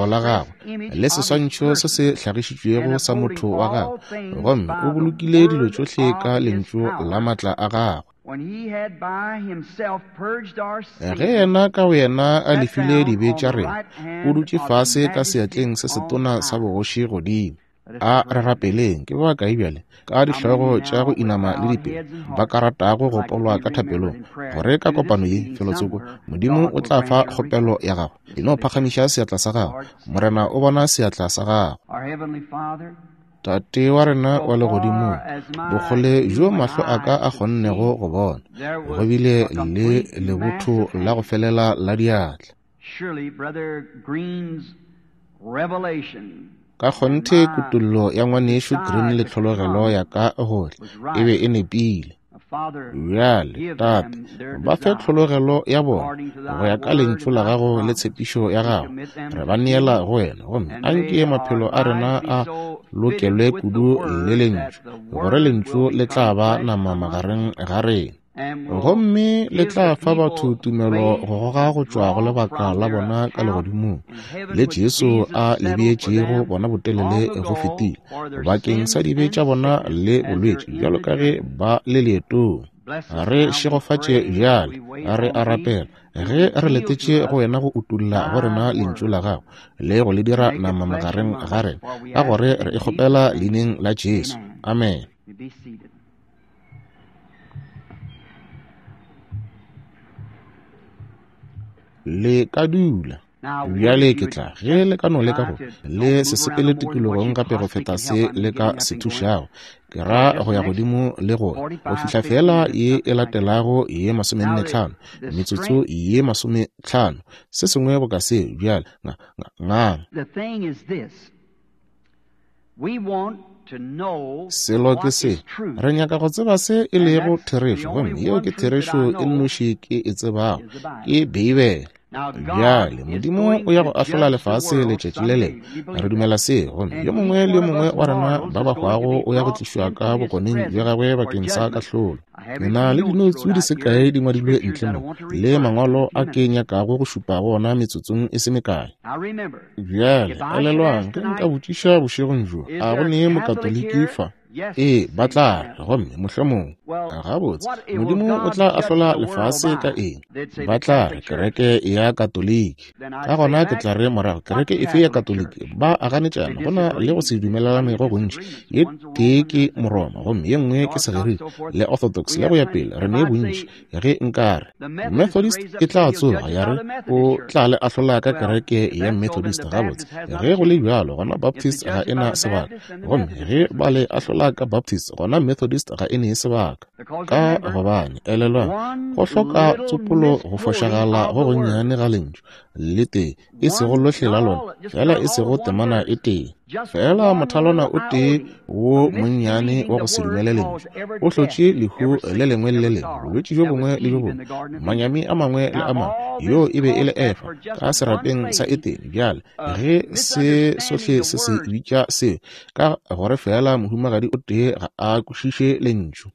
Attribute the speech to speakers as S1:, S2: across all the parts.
S1: letago la gagwe le seswantšho se se hlagišitšwego sa motho wa gagwe, gomme o bolokile dilo tšohle ka lentšu la matla a gagwe. Ge yena ka boyena a lefile dibe tša rena, o dutše fase ka seatleng se setona sa bogoši godimo. A re rapeleng. Ke ba bakae bjale, ka dihlogo tša go inama le dipelo, ba ka ratago go gopolwa ka thapelong, gore ka kopano ye, felotsoko, Modimo o tla fa kgopelo ya gago? E no phagamiša seatla sa gago. Morena o bona seatla sa gago. Tate wa rena wa legodimong, bokgole bjo mahlo a ka a kgonnego go bona, go bile le lebotho la go felela la diatla. Ka kgonthe kutollo ya ngwanešu Green le tlhologelo ya ka gohle e be e nepile. Bjale, Tate, ba fe tlhologelo ya bona go ya ka lentšu la gago le tshepišo ya gago. Re ba neela go wena, gomme anke maphelo a rena a lokelwe kudu le lentšu, gore lentšu le tla ba nama magareng ga rena, gomme le tla fa batho tumelo go goga go tšwa go lebaka la bona ka legodimong le Jesu a le beetšego bona botelele go fetile bakeng sa dibe tša bona le bolwetši, bjalo ka ge ba le leetong. Re šegofatše bjale, re a rapela, ge re letetše go wena go utolla go rena lentšu la gago le go le dira nama magareng ga rena, ka gore re e kgopela leineng la Jesu. Amen. Le ka dula. Bjale ke tla, ge le ka no leka go le se sepele tikologong gape go feta se le ka se thušago, ke ra go ya godimo le go go fihla fela ye e latelago ye 45, metsotso ye 50, se sengwe boka se. Bjale ngang. Selo ke se, re nyaka go tseba se e lego therešo, gomme yeo ke therešo e nnoši ke e tsebago, ke Beibele. Bjale Modimo o ya go ahlola lefase letšatši le lengwe, re dumela se, gomme yo mongwe le yo mongwe wa rena ba ba hwago o ya go tlišwa ka bokoneng bja gagwe bakeng sa kahlolo. Ke na le dinoutsu di se kae di ngwadilwe ntle mo, le mangwalo a ke nyakago go šupa go ona metsotsong e se mekae. Bjale elelwang, ge nka botšiša bošegong bjo, a go ne Mokatoliki fa? Ee, ba tla re, gomme mohlomongwe. Gabotse, Modimo o tla ahlola lefase ka eng? Ba tla re, kereke ya Katoliki. Ka gona ke tla re morago, kereke efe ya Katoliki? Ba a ganetšana, go na le go se dumelelane go gontši. Ye tee ke Moroma, gomme ye nngwe ke Segerika, le Orthodox, le go ya pele. Re ne bontši. Ge nka re Methodist e tla tsoga ya re o tla le ahlola ka kereke ya Methodist, gabotse, ge go le bjalo gona Baptist ga e na sebaka, gomme ge ba le ahlola ka Baptist gona Methodist ga e ne sebaka. Ka gobane elelwang, go hloka tsopolo go fošagala go gonnyane ga lentšu le tee, e sego lohle la lona, fela e sego temana e tee, fela mothalwana o tee wo monnyane wa go se dumele lentšu o hlotše lehu le lengwe le le lengwe, bolwetši bjo bongwe le bjo bongwe, manyami a mangwe le a mangwe. Yo e be e le Efa ka serapeng sa Etene. Bjale ge se sohle se se bitša seo, ka gore fela mohumagadi o tee ga a kwešiše lentšu,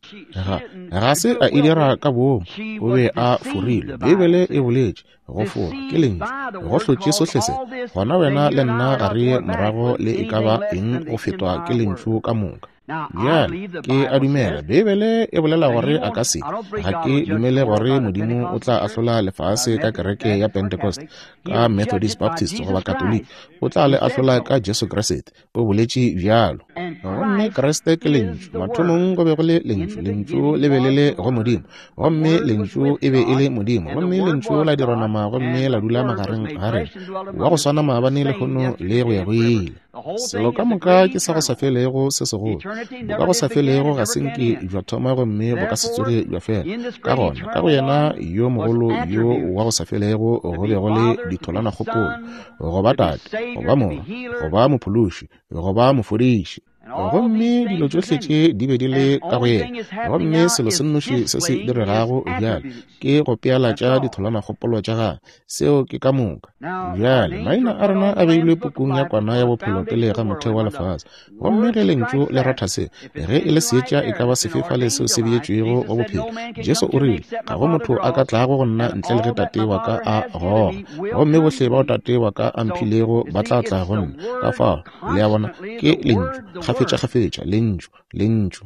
S1: ga se a e dira ka boomo, o be a forilwe. Beibele e boletše go fora ke lentšu, go hlotše sohle se. Gona wena le nna ga re ye morago le e ka ba eng go fetwa ke lentšu ka moka. Bjale ke a dumela Beibele e bolela gore a ka se. Ga ke dumele gore Modimo o tla ahlola lefase ka kereke ya Pentecost, ka Methodist, Baptist goba Katoliki. O tla le ahlola ka Jesu Kriste. O boletše bjalo. Gomme Kriste ke Lentšu. Mathomong go be go le Lentšu, Lentšu le be le le go Modimo, gomme Lentšu e be e le Modimo, gomme Lentšu la dirwa nama gomme la dula magareng ga rena, wa go swana maabane, lehono le go ya go ile. Selo ka moka ke sa go sa felego se segolo. Bo ka go sa felego ga se nke bja thoma gomme bo ka se tsoge bja fela. Ka gona, ka go yena yo mogolo yo wa go sa felego go be go le ditholanakgopolo, go ba Tate, go ba Morwa, go ba Mophološi, go ba Mofodiši. Gomme dilo tšohle tše di be di le ka go yena. Gomme selo se nnoši se se diregago bjale ke go pealatša ditholanakgopolo tša gagwe. Seo ke ka moka. Bjale maina a rena a beilwe pukung ya Kwana ya Bophelo pele ga motheo wa lefase. Gomme ge lentšu le ratha se, ge e le seetša e ka ba sefe fale seo se beetšwego go bophelo, Jesu o rile, ga go motho a ka tlago go nna ntle le ge Tate wa ka a goga. Gomme bohle bao Tate wa ka a mphilego ba tla tla go nna. Ka fao, le a bona, ke lentšu. Kgafetšakgafetša, Lentšu, Lentšu.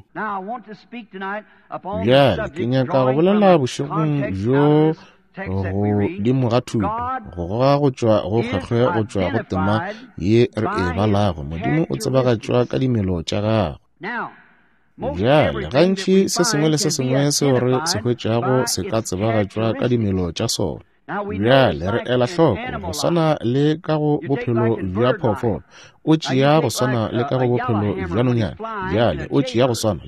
S1: Bjale ke nyaka go bolela bošegong bjo godimo ga thuto, go goga go tšwa go kgwekgwe go tšwa go tema ye re e balago. Modimo o tsebagatšwa ka dimelo tša gagwe. Bjale, gantši se sengwe le se sengwe seo re se hwetšago se ka tsebagatšwa ka dimelo tša sona. Bjale re ela hloko go swana le ka go bophelo bja phoofolo, o tšea go swana le ka go bophelo bja nonyana. Bjale o tšea go swana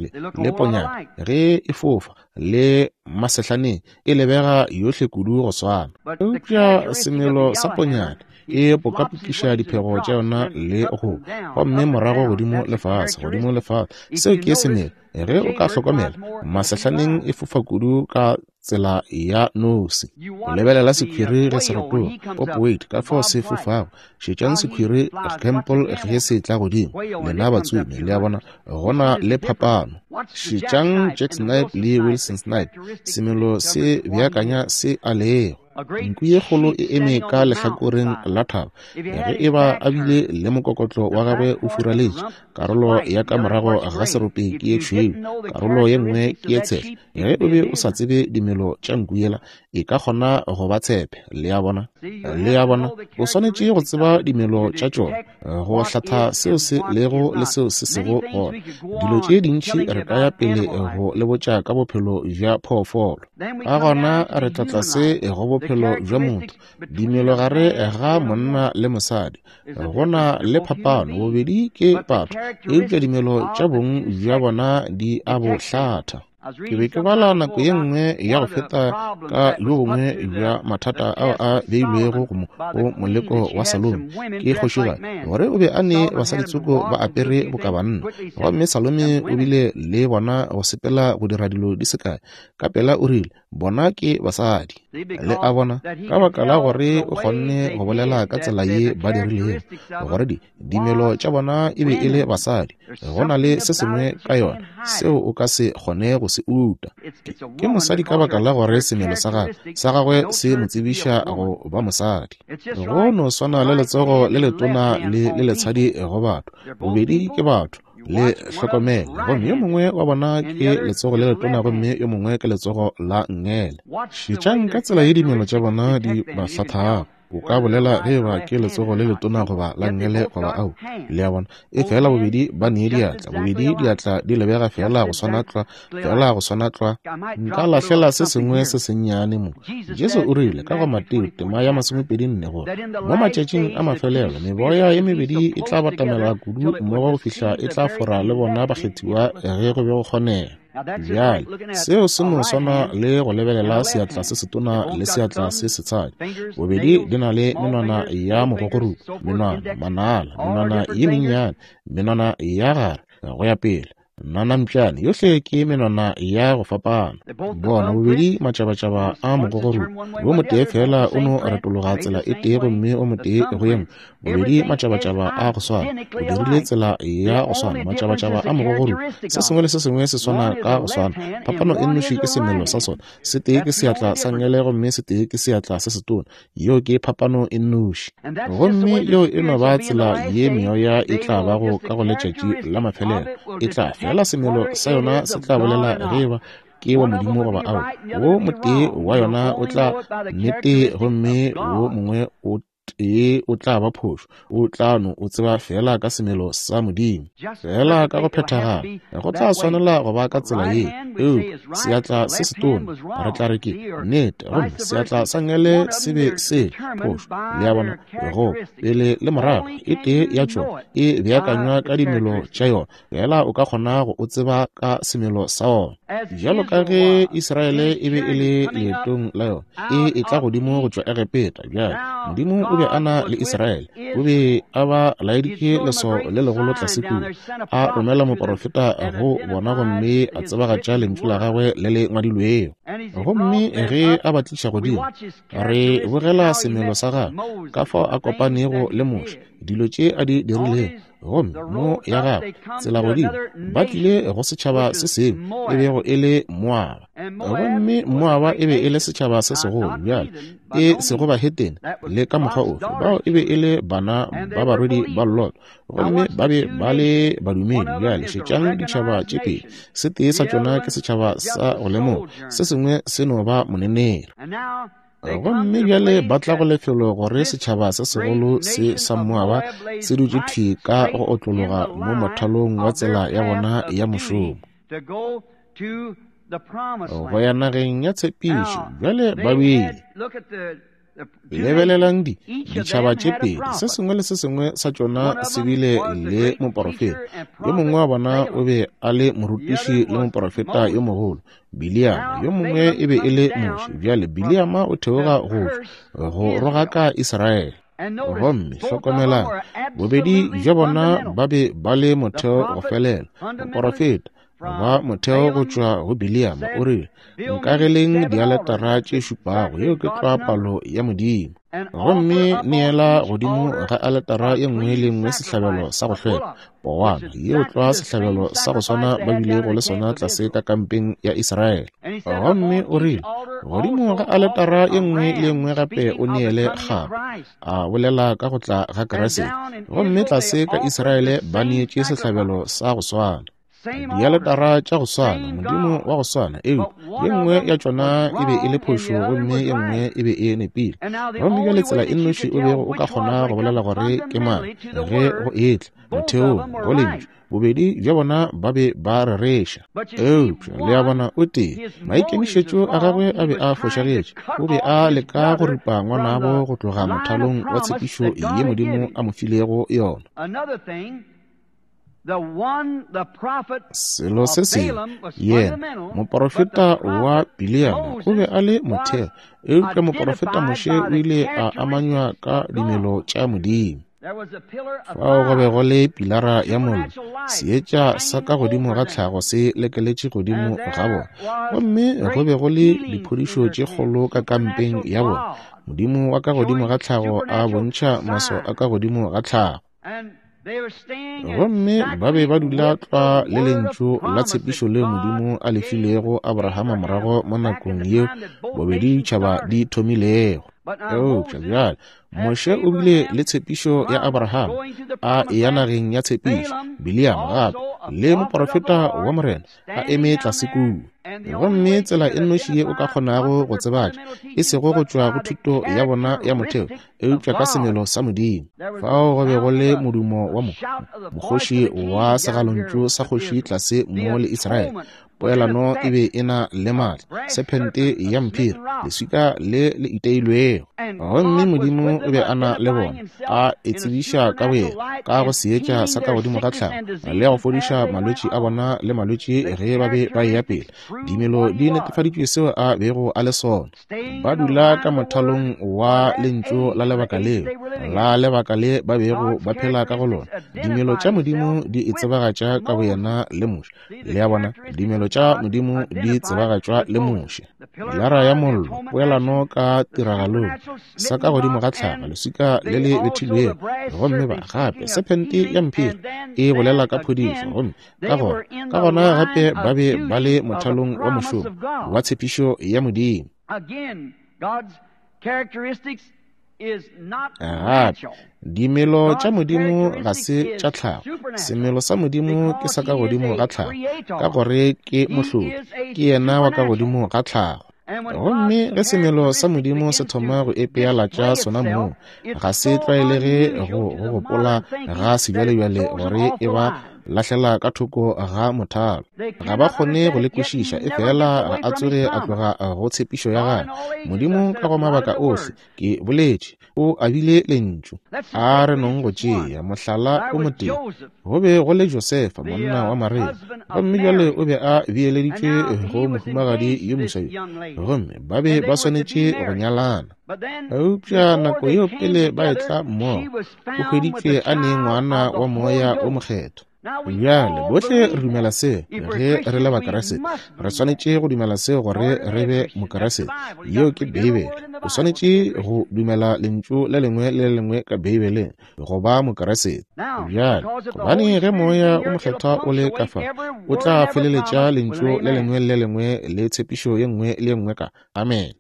S1: le ponyana ge e fofa le masehlaneng, e lebega yohle kudu go swana. Eupša semelo sa ponyana e pokapokiša diphego tša yona le go, gomme morago godimo le fase, godimo le fase. Seo ke semelo. Ge o ka hlokomela, masehlaneng e fofa kudu ka tsela ya nosi. O lebelela sekhwiri ge se rotoga, Pop Wade, ka fao se fofago. Šetšang sekhwiri Campbell ge se tla godimo, lena batsomi, le a bona, go na le phapano. Šetšang Jack Snipe le Wilson Snipe, semelo se beakanya se a lego. Nku ye kgolo e eme ka lehlakoreng la thaba, ge e ba a bile le mokokotlo wa gagwe o furaletše, karolo ya ka morago ga serope ke ye tšhweu, karolo ye nngwe ke ye tshehla. Ge o be o sa tsebe dimelo tša nku yela, e ka kgona go ba tshepe. Le a bona? Le a bona? O swanetše go tseba dimelo tša tšona, go hlatha seo se lego le seo se sego gona. Dilo tše dintši re ka ya pele go le botša ka bophelo bja phoofolo. Ka gona re tla tlase go bophelo bja motho, dimelo gare ga monna le mosadi. Go na le phapano, bobedi ke batho, eupša dimelo tša bong bja bona di a bo hlatha. Ke be ke bala nako ye nngwe ya go feta ka bjo bongwe bja mathata ao a beilwego go moleko wa Salome ke kgošigadi, gore o be a ne basaditsoko ba apere boka banna, gomme Salome o bile le bona go sepela go dira dilo di se kae. Ka pela o rile, bona ke basadi. Le a bona, ka baka la gore o kgonne go bolela ka tsela ye ba dirilego, gore dimelo tša bona e be e le basadi. Go na le se sengwe ka yona seo o ka se kgone go se uta. Ke mosadi ka baka la gore semelo sa gagwe se mo tsebiša go ba mosadi. Go no swana le letsogo le letona le le letshadi go batho, bobedi ke batho. Le hlokomele, gomme yo mongwe wa bona ke letsogo le letona gomme yo mongwe ke letsogo la nngele. Šetšang ka tsela ye dimelo tša bona di ba hlathago. O ka bolela ge eba ke letsogo le letona goba la nngele goba ao. Le a bona? E fela bobedi ba nee diatla, bobedi diatla di lebega fela go swana tlwa, fela go swana tlwa. Nka lahlela se sengwe se sennyane mo. Jesu o rile ka go Mateo tema ya 24 gore mo matšatšing a mafelelo meboya ye mebedi e tla batamela kudu mmogo go fihla e tla fora le bona bakgethiwa ge go be go kgonega. Bjale, seo se no swana le go lebelela seatla se setona le seatla se setshadi. Bobedi di na le menwana ya mogogorupo, menwana, manala, menwana ye mennyane, menwana ya gare, go ya pele. Nanampšane yohle ke menwana ya go fapana. Bona bobedi matšabatšaba a mogogorupo, yo motee fela o no retologa tsela e tee gomme o motee go ye nngwe. Bobedi matšabatšaba a go swana, o dirile tsela ya go swana, matšabatšaba a mogogorupo. Se sengwe le se sengwe se swana ka go swana. Phapano e nnoši ke semelo sa sona. Se tee ke seatla sa nngele gomme se tee ke seatla se setona. Yeo ke phapano e nnoši. Gomme yeo e no ba tsela ye meoya e tla bago ka go letšatši la mafelelo. E tla fela semelo sa yona se tla bolela ge eba ke wa Modimo goba ao. Wo motee wa yona o tla nnete gomme wo mongwe o tee o tla ba phošo. O tla no o tseba fela ka semelo sa Modimo, fela ka go phethagala. Go tla swanela go ba ka tsela ye. Eupša seatla se setona re tla re ke nnete, gomme seatla sa nngele se be se phošo. Le a bona, go pele le morago, e tee ya tšona e beakanywa ka dimelo tša yona, fela o ka kgona go o tseba ka semelo sa ona. Bjalo ka ge Israele e be e le leetong la yona, e etla godimo go tšwa Egepeta. Bjale Modimo o be a na le Israele, o be a ba laeditše leswao le legolo tlase kua, a romela moporofeta go bona gomme a tsebagatša lentšu la gagwe le le ngwadilwego. Gomme ge a ba tliša godimo, re bogela semelo sa gagwe, ka fao a kopanego le Moshe, dilo tše a di dirilego, gomme mo ya gagwe tsela godimo ba tlile go setšhaba se sengwe e bego e le Moaba. Gomme Moaba e be e le setšhaba se segolo, bjale, e sego bahetene le ka mokgwa ofe. Bao e be e le bana ba barwedi ba Lot, gomme ba be ba le badumedi. Bjale šetšang ditšhaba tše pedi, se tee sa tšona ke setšhaba sa go lemoga, se sengwe se no ba moneneri. Gomme bjale ba tla go lefelo gore setšhaba se segolo se sa Moaba se dutše thwi ka go otlologa mo mothalong wa tsela ya bona ya mošomo go ya nageng ya tshepišo. Bjale ba bile lebelelang ditšhaba tše pedi, se sengwe le se sengwe sa tšona se bile le moporofeta. Yo mongwe wa bona o be a le morutiši le moporofeta yo mogolo, Biliama. Yo mongwe e be e le Moshe. Bjale Biliama o theoga go go rogaka Israele. Gomme hlokomelang, bobedi bja bona ba be ba le motheo go felela. Moporofeta ba motheo go tšwa go Biliama o rile, nkageleng dialetara tše šupago, yeo ke tlwa palo ya Modimo. Gomme neela godimo ga aletara ye nngwe le nngwe sehlabelo sa go hlweka, powana, yeo tlwa sehlabelo sa go swana ba bilego le sona tlase ka kampeng ya Israele. Gomme o rile, godimo ga aletara ye nngwe le ye nngwe gape o neele kgapa, a bolela ka go tla ga Kriste. Gomme tlase ka Israele ba neetše sehlabelo sa go swana, dialetara tša go swana, Modimo wa go swana, eupša ye nngwe ya tšona e be e le phošo gomme ye nngwe e be e nepile. Gomme bjale tsela e nnoši o bego o ka kgona go bolela gore ke mang ge go etla motheong go lentšu, bobedi bja bona ba be ba rereša. Eupša le a bona, o tee maikemišetšo a gagwe a be a fošagetše. O be a leka go ripa ngwanabo go tloga mothalong wa tshepišo ye Modimo a mo filego yona. Selo se sengwe, yena moporofeta wa Biliama o be a le motheo, eupša moporofeta Moshe o ile a amanywa ka dimelo tša Modimo. Fao go be go le pilara ya mollo, seetša sa ka godimo ga tlhago se lekeletše godimo ga bona, gomme go be go le diphodišo tše kgolo ka kampeng ya bona. Modimo wa ka godimo ga tlhago a bontšha maswao a ka godimo ga tlhago. Gomme ba be ba dula tlwa le lentšu la tshepišo leo Modimo a le filego Abrahama morago mo nakong yeo bobedi ditšhaba di thomilego. Eupša bjale Moshe o bile le tshepišo ya Abrahama a eya nageng ya tshepišo, Biliama gape le moporofeta wa Morena a eme tlase kua. Gomme tsela e nnoši ye o ka kgonago go tsebatša, e sego go tšwa go thuto ya bona ya motheo, eupša ka semelo sa Modimo. Fao go be go le modumo wa mokgoši wa segalontšu sa kgoši tlase mo le Israele. Poelano e be e na le maatla, sephente ya mphiri, leswika le le iteilwego. Gomme Modimo o be a na le bona, a e tsebiša ka boyena ka go seetša sa ka godimo ga tlhago, le go fodiša malwetši a bona le malwetši ge ba be ba eya pele. Dimelo di netefaditšwe seo a bego a le sona. Ba dula ka mothalong wa lentšu la lebaka leo, la lebaka le ba bego ba phela ka go lona. Dimelo tša Modimo di e tsebagatša ka boyena le Moshe. Le a bona, dimelo tša Modimo di tsebagatšwa le Moshe. Pilara ya mollo, poelano ka tiragalong, sa ka godimo ga tlhago, leswika le le bethilwego, gomme ba gape sephente ya mphiri e bolela ka phodišo, gomme ka gona gape ba be ba le mothalong wa mošomo wa tshepišo ya Modimo. Gape dimelo tša Modimo ga se tša tlhago. Semelo sa Modimo ke sa ka godimo ga tlhago, ka gore ke mohlodi, ke yena wa ka godimo ga tlhago. Gomme ge semelo sa Modimo se thoma go epealatša sona mong, ga se tlwaelege go gopola ga sebjalebjale gore e ba lahlela ka thoko ga mothalo. Ga ba kgone go le kwešiša, efela ga a tsoge a tloga go tshepišo ya gagwe. Modimo ka go mabaka ohle, ke boletše, o abile lentšu. A re nong go tšea mohlala o motee. Go be go le Josefa, monna wa Maria, gomme bjale o be a beeleditšwe go mohumagadi yo moswa yo, gomme ba be ba swanetše go nyalana. Eupša nako yeo pele ba etla mmogo, o hweditšwe a ne ngwana wa moya o mokgethwa. Bjale bohle re dumela seo ge re le Bakeresete. Re swanetše go dumela seo gore re be Mokeresete. Yeo ke Beibele. O swanetše go dumela Lentšu le lengwe le le lengwe ka Beibeleng, go ba Mokriste. Bjale, gobane ge Moya o Mokgethwa o le ka fa, o tla feleletša Lentšu le lengwe le le lengwe le tshepišo ye nngwe le ye nngwe ka amen.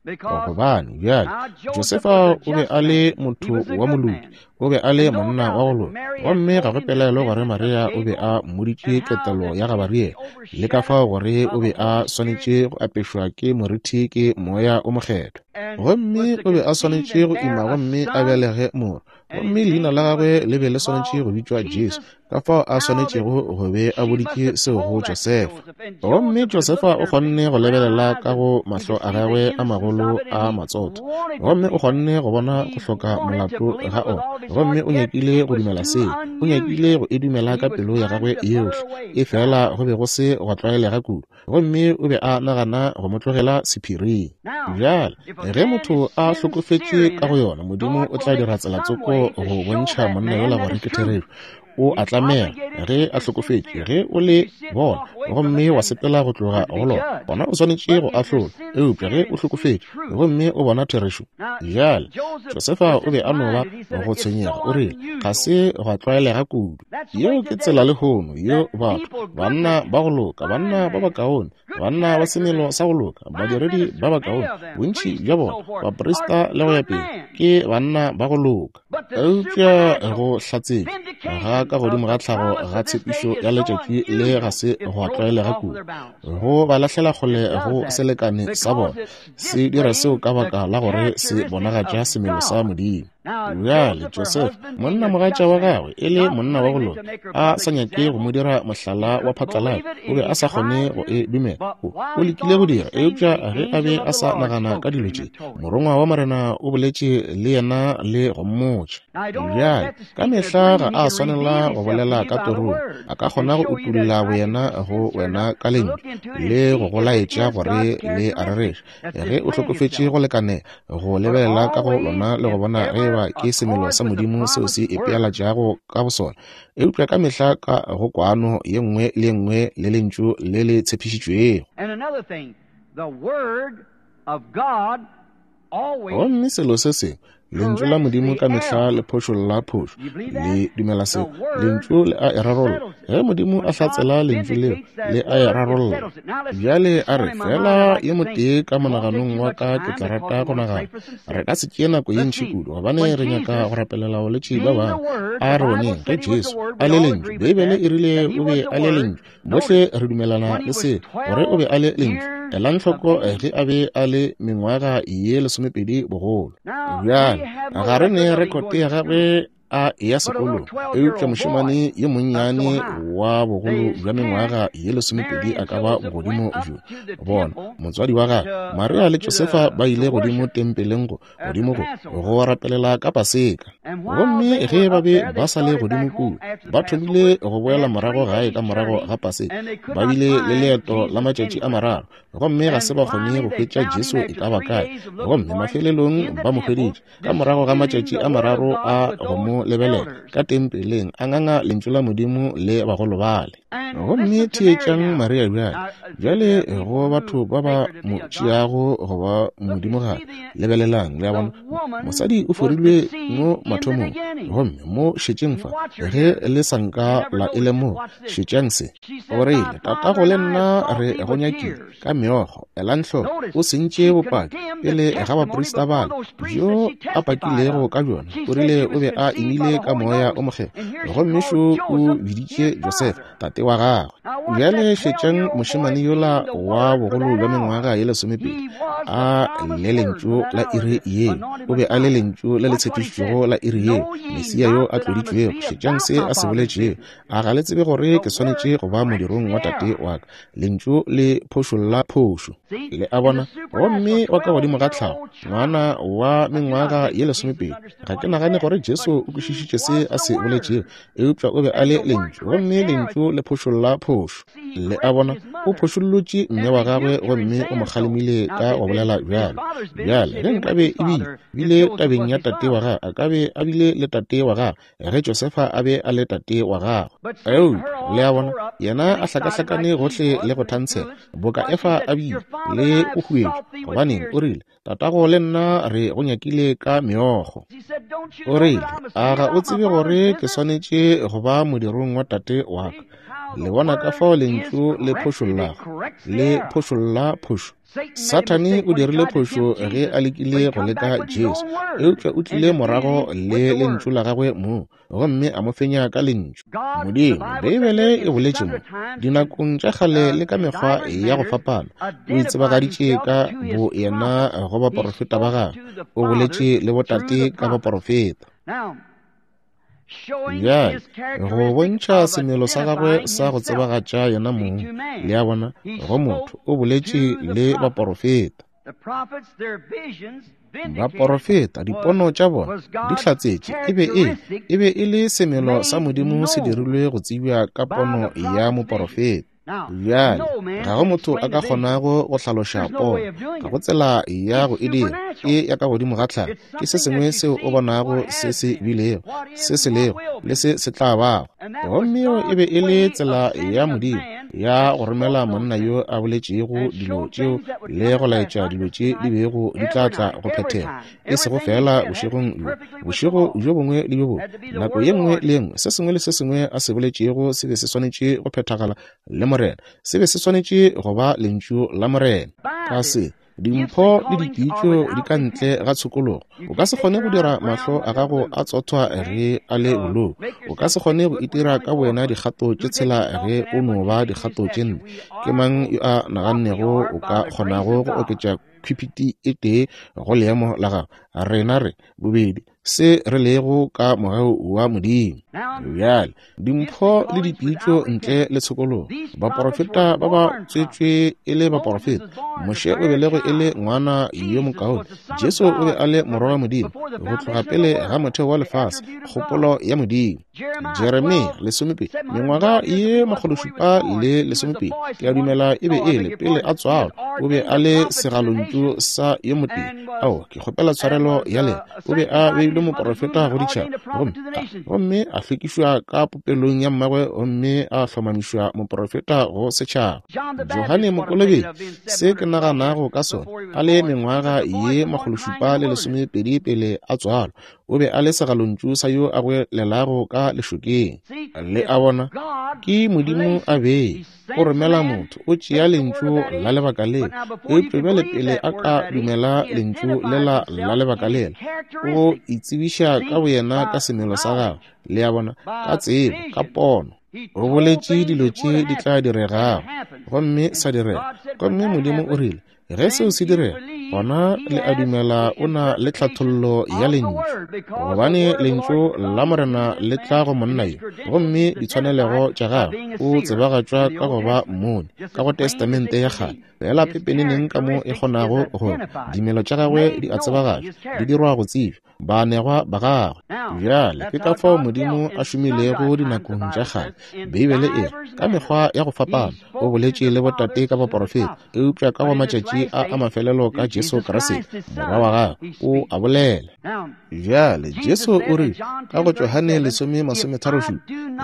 S1: Gobane bjale, Josefa o be a le motho wa moloki, o be a le monna wa go loka, gomme ga go pelaelo gore Maria o be a mmoditše ketelo ya Gabariele, le ka fao gore o be a swanetše go apešwa ke morithi ke Moya o Mokgethwa. Gomme o be a swanetše go ima gomme a belege morwa, gomme leina la gagwe le be le swanetše go bitšwa Jesu, ka fao a swanetšego go be a boditše seo go Josefa. Gomme Josefa o kgonne go lebelela ka go mahlo a gagwe a magolo a matsotho, gomme o kgonne go bona go hloka molato ga ona, gomme o nyakile go dumela seo, o nyakile go e dumela ka pelo ya gagwe yohle, efela go be go se gwa tlwaelega kudu, gomme o be a nagana go mo tlogela sephiring. Bjale, ge motho a hlokofetše ka go yona, Modimo o tla dira tsela tsoko go bontšha monna yola gore ke therešo. O a tlamega ge a hlokofetše, ge o le bona gomme wa sepela go tloga go lona, gona o swanetše go ahlolwa. Eupša ge o hlokofetše gomme o bona therešo. Bjale, Josefa o be a no ba go tshwenyega, o rile, ga se gwa tlwaelega kudu. Yeo ke tsela lehono yeo batho, banna ba go loka, banna ba bakaone, banna ba semelo sa go loka, badiredi ba bakaone, bontši bja bona, baprista le go ya pele, ke banna ba go loka. Eupša go hlatsetšwa ga ka godimo ga tlhago ga tshepišo ya letšatši le ga se gwa tlwaelega kudu, go ba lahlela kgole go selekane sa bona. Se dira seo ka baka la gore se bonagatša semelo sa Modimo. Bjale Josefa, monnamogatša wa gagwe, e le monna wa go loka, a sa nyake go mo dira mohlala wa phatlalatša, o be a sa kgone go e dumela. O lekile go dira, eupša ge a be a sa nagana ka dilo tše, morongwa wa Morena o boletše le yena le go mmotša. Bjale, ka mehla ga a swanela go bolela ka torong, a ka kgona go utolla boyena go wena ka lentšu le go go laetša gore le a rereša. Ge o hlokofetše go lekanela go lebelela ka go lona le go bona ge eba ke semelo sa Modimo seo se ipealatšago ka bosona, eupša ka mehla ka go kwano ye nngwe le ye nngwe le lentšu le le tshepišitšwego. Gomme selo se sengwe, Lentšu la Modimo ka mehla le phošolla phošo. Le dumela seo? Lentšu le a e rarolla. Ge Modimo a hlatsela Lentšu leo, le a e rarolla. Bjale a re, feela yo motee ka monaganong wa ka ke tla rata go nagana. Re ka se tšee nako ye ntši kudu, gobane re nyaka go rapelela balwetši ba bangwe. A re boneng ge Jesu a le Lentšu. Beibele e rile O be a le Lentšu. Bohle re dumelana le se, gore o be a le Lentšu. Elang hloko ge a be a le mengwaga ye 12 bogolo. Bjale, ga re ne rekote ya gagwe a eya sekolong, eupša mošemane yo monnyane wa bogolo bja mengwaga ye 12 a ka ba bogodimo bjo. Bona, motswadi wa gagwe, Maria le Josefa, ba ile godimo tempeleng go godimo go go rapelela ka Paseka. Gomme ge ba be ba sa le godimo kua, ba thomile go boela morago gae ka morago ga Paseka. Ba bile le leeto la matšatši a mararo, gomme ga se ba kgone go hwetša Jesu e ka ba kae. Gomme mafelelong ba mo hweditše ka morago ga matšatši a mararo a go mo lebelela ka tempeleng, a nganga lentšu la Modimo le bagolo bale. Gomme theetšang Maria bjale. Bjale go batho ba ba mo tšeago go ba modimogadi, lebelelang, le a bona, mosadi o forilwe mo mathomong. Gomme mo šetšeng fa, ge le sa nka la e lemoga, šetšang se. O rile, Tatago le nna re go nyakile ka meokgo. Elang hloko, o sentše bopaki pele ga baprista bale bjo a pakilego ka bjona. O rile o be a imile ka Moya o Mokgethwa, gomme šo o biditše Josefa tate wa gagwe. Bjale šetšang mošemane yola wa bogolo bja mengwaga ye 12 a le lentšu la iri yeo. O be a le lentšu le le tshepišitšwego la iri yeo, Mesia yo a tloditšwego. Šetšang se a se boletšego. A ga le tsebe gore ke swanetše go ba modirong wa tate wa ka? Lentšu le phošolla phošo. Le a bona? Gomme wa ka godimo ga tlhago, ngwana wa mengwaga ye 12, ga ke nagane gore Jesu o kwešišitše se a se boletšego, eupša o be a le Lentšu, gomme Lentšu le phošolla phošo. Le a bona? O phošollotše mme wa gagwe gomme o mo kgalemile ka go bolela bjalo. Bjale, ge nkabe e bile tabeng ya tate wa gagwe, a ka be a bile le tate wa gagwe ge Josefa a be a le tate wa gagwe. Eupša Le a bona, yena a hlakahlakane gohle le go thantshela, boka Efa a bile, le go huetšwa. Gobaneng, o rile, Tatago le nna re go nyakile ka meokgo. O rile, A ga o tsebe gore ke swanetše go ba modirong wa tate wa ka? Le bona ka fao lentšu le phošollago, le phošolla phošo. Sathane o dirile phošo ge a lekile go leka Jesu, eupša o tlile morago le lentšu la gagwe mong, gomme a mo fenya ka lentšu. Modimo, Beibele e boletše mo, dinakong tša kgale le ka mekgwa ya go fapana, o itsebagaditše ka bo yena go baporofeta ba gagwe, o boletše le botate ka baporofeta. Bjale, go bontšha semelo sa gagwe sa go tsebagatša yena mong, le a bona, go motho, o boletše le baporofeta. Baporofeta, dipono tša bona di hlatsetše, e be e, e be e le semelo sa Modimo se dirilwe go tsebja ka pono ya moporofeta. Bjale, ga go motho a ka kgonago go hlaloša pono. Ga go tsela ya go e dira. Ke ya ka godimo ga tlhago. Ke se sengwe seo o bonago se se bilego, se se lego, le se se tla bago. Gomme yeo e be e le tsela ya Modimo ya go romela monna yo a boletšego dilo tšeo le go laetša dilo tše di bego di tla tla go phethega. E sego feela bošegong bjo, bošego bjo bongwe le bjo bongwe, nako ye nngwe le ye nngwe, se sengwe le se sengwe a se boletšego se be se swanetše go phethagala le Morena. Se be se swanetše go ba Lentšu la Morena. Ka se, dimpho le dipitšo di ka ntle ga tshokologo. O ka se kgone go dira mahlo a gago a tsothwa ge a le bolou. O ka se kgone go itira ka bowena dikgato tše tshela ge o no ba dikgato tše nne. Ke mang yo a nagannego o ka kgonago go oketša khwipiti e tee go leemo la gago? Rena re, bobedi, se re lego ka mogau wa Modimo. Bjale, dimpho le dipitšo ntle le tshokologo. Baporofeta ba ba tswetšwe e le baporofeta. Moshe o belegwe e le ngwana yo mokaone. Jesu o be a le morwa wa Modimo go tloga pele ga motheo wa lefase, kgopolo ya Modimo. Jeremia 12, mengwaga ye 720, ke a dumela e be e le pele a tswalwa, o be a le segalontšu sa yo motee. Ao, ke kgopela tshwarelo ya lena. O be a beilwe moporofeta go ditšhaba, gomme a, gomme a hlwekišwa ka popelong ya mmagwe, gomme a hlomamišwa moporofeta go setšhaba. Johane Mokolobetši, se ke naganago ka sona, a le mengwaga ye 722 pele a tswalwa, o be a le segalontšu sa yo a goelelago ka lešokeng. Le a bona, ke Modimo a bee, o romela motho, o tšea lentšu la lebaka lela. Eupša bjale pele a ka dumela lentšu lela la lebaka lela, o itsebiša ka boyena ka semelo sa gagwe, le a bona, ka tsebo, ka pono. O boletše dilo tše di tla diregago, gomme sa direga. Gomme Modimo o rile, Ge seo se direga, gona le a dumela o na le tlhathollo ya Lentšu, gobane Lentšu la Morena le tla go monna yo, gomme ditshwanelego tša gagwe o tsebagatšwa ka go ba mmoni ka go Testamente ya Kgale, feela pepeneneng ka mo e kgonago go ba. Dimelo tša gagwe di a tsebagatšwa, di dirwa go tsebja. baanegwa ba gagwe. Bjale ke ka fao Modimo a šomilego dinakong tša kgale. Beibele e re, ka mekgwa ya go fapana o boletše le botate ka baporofeta, eupša ka go matšatši a a mafelelo ka Jesu Kriste, Morwa wa gagwe, o a bolela. Bjale Jesu o rile ka go Johane 10:37,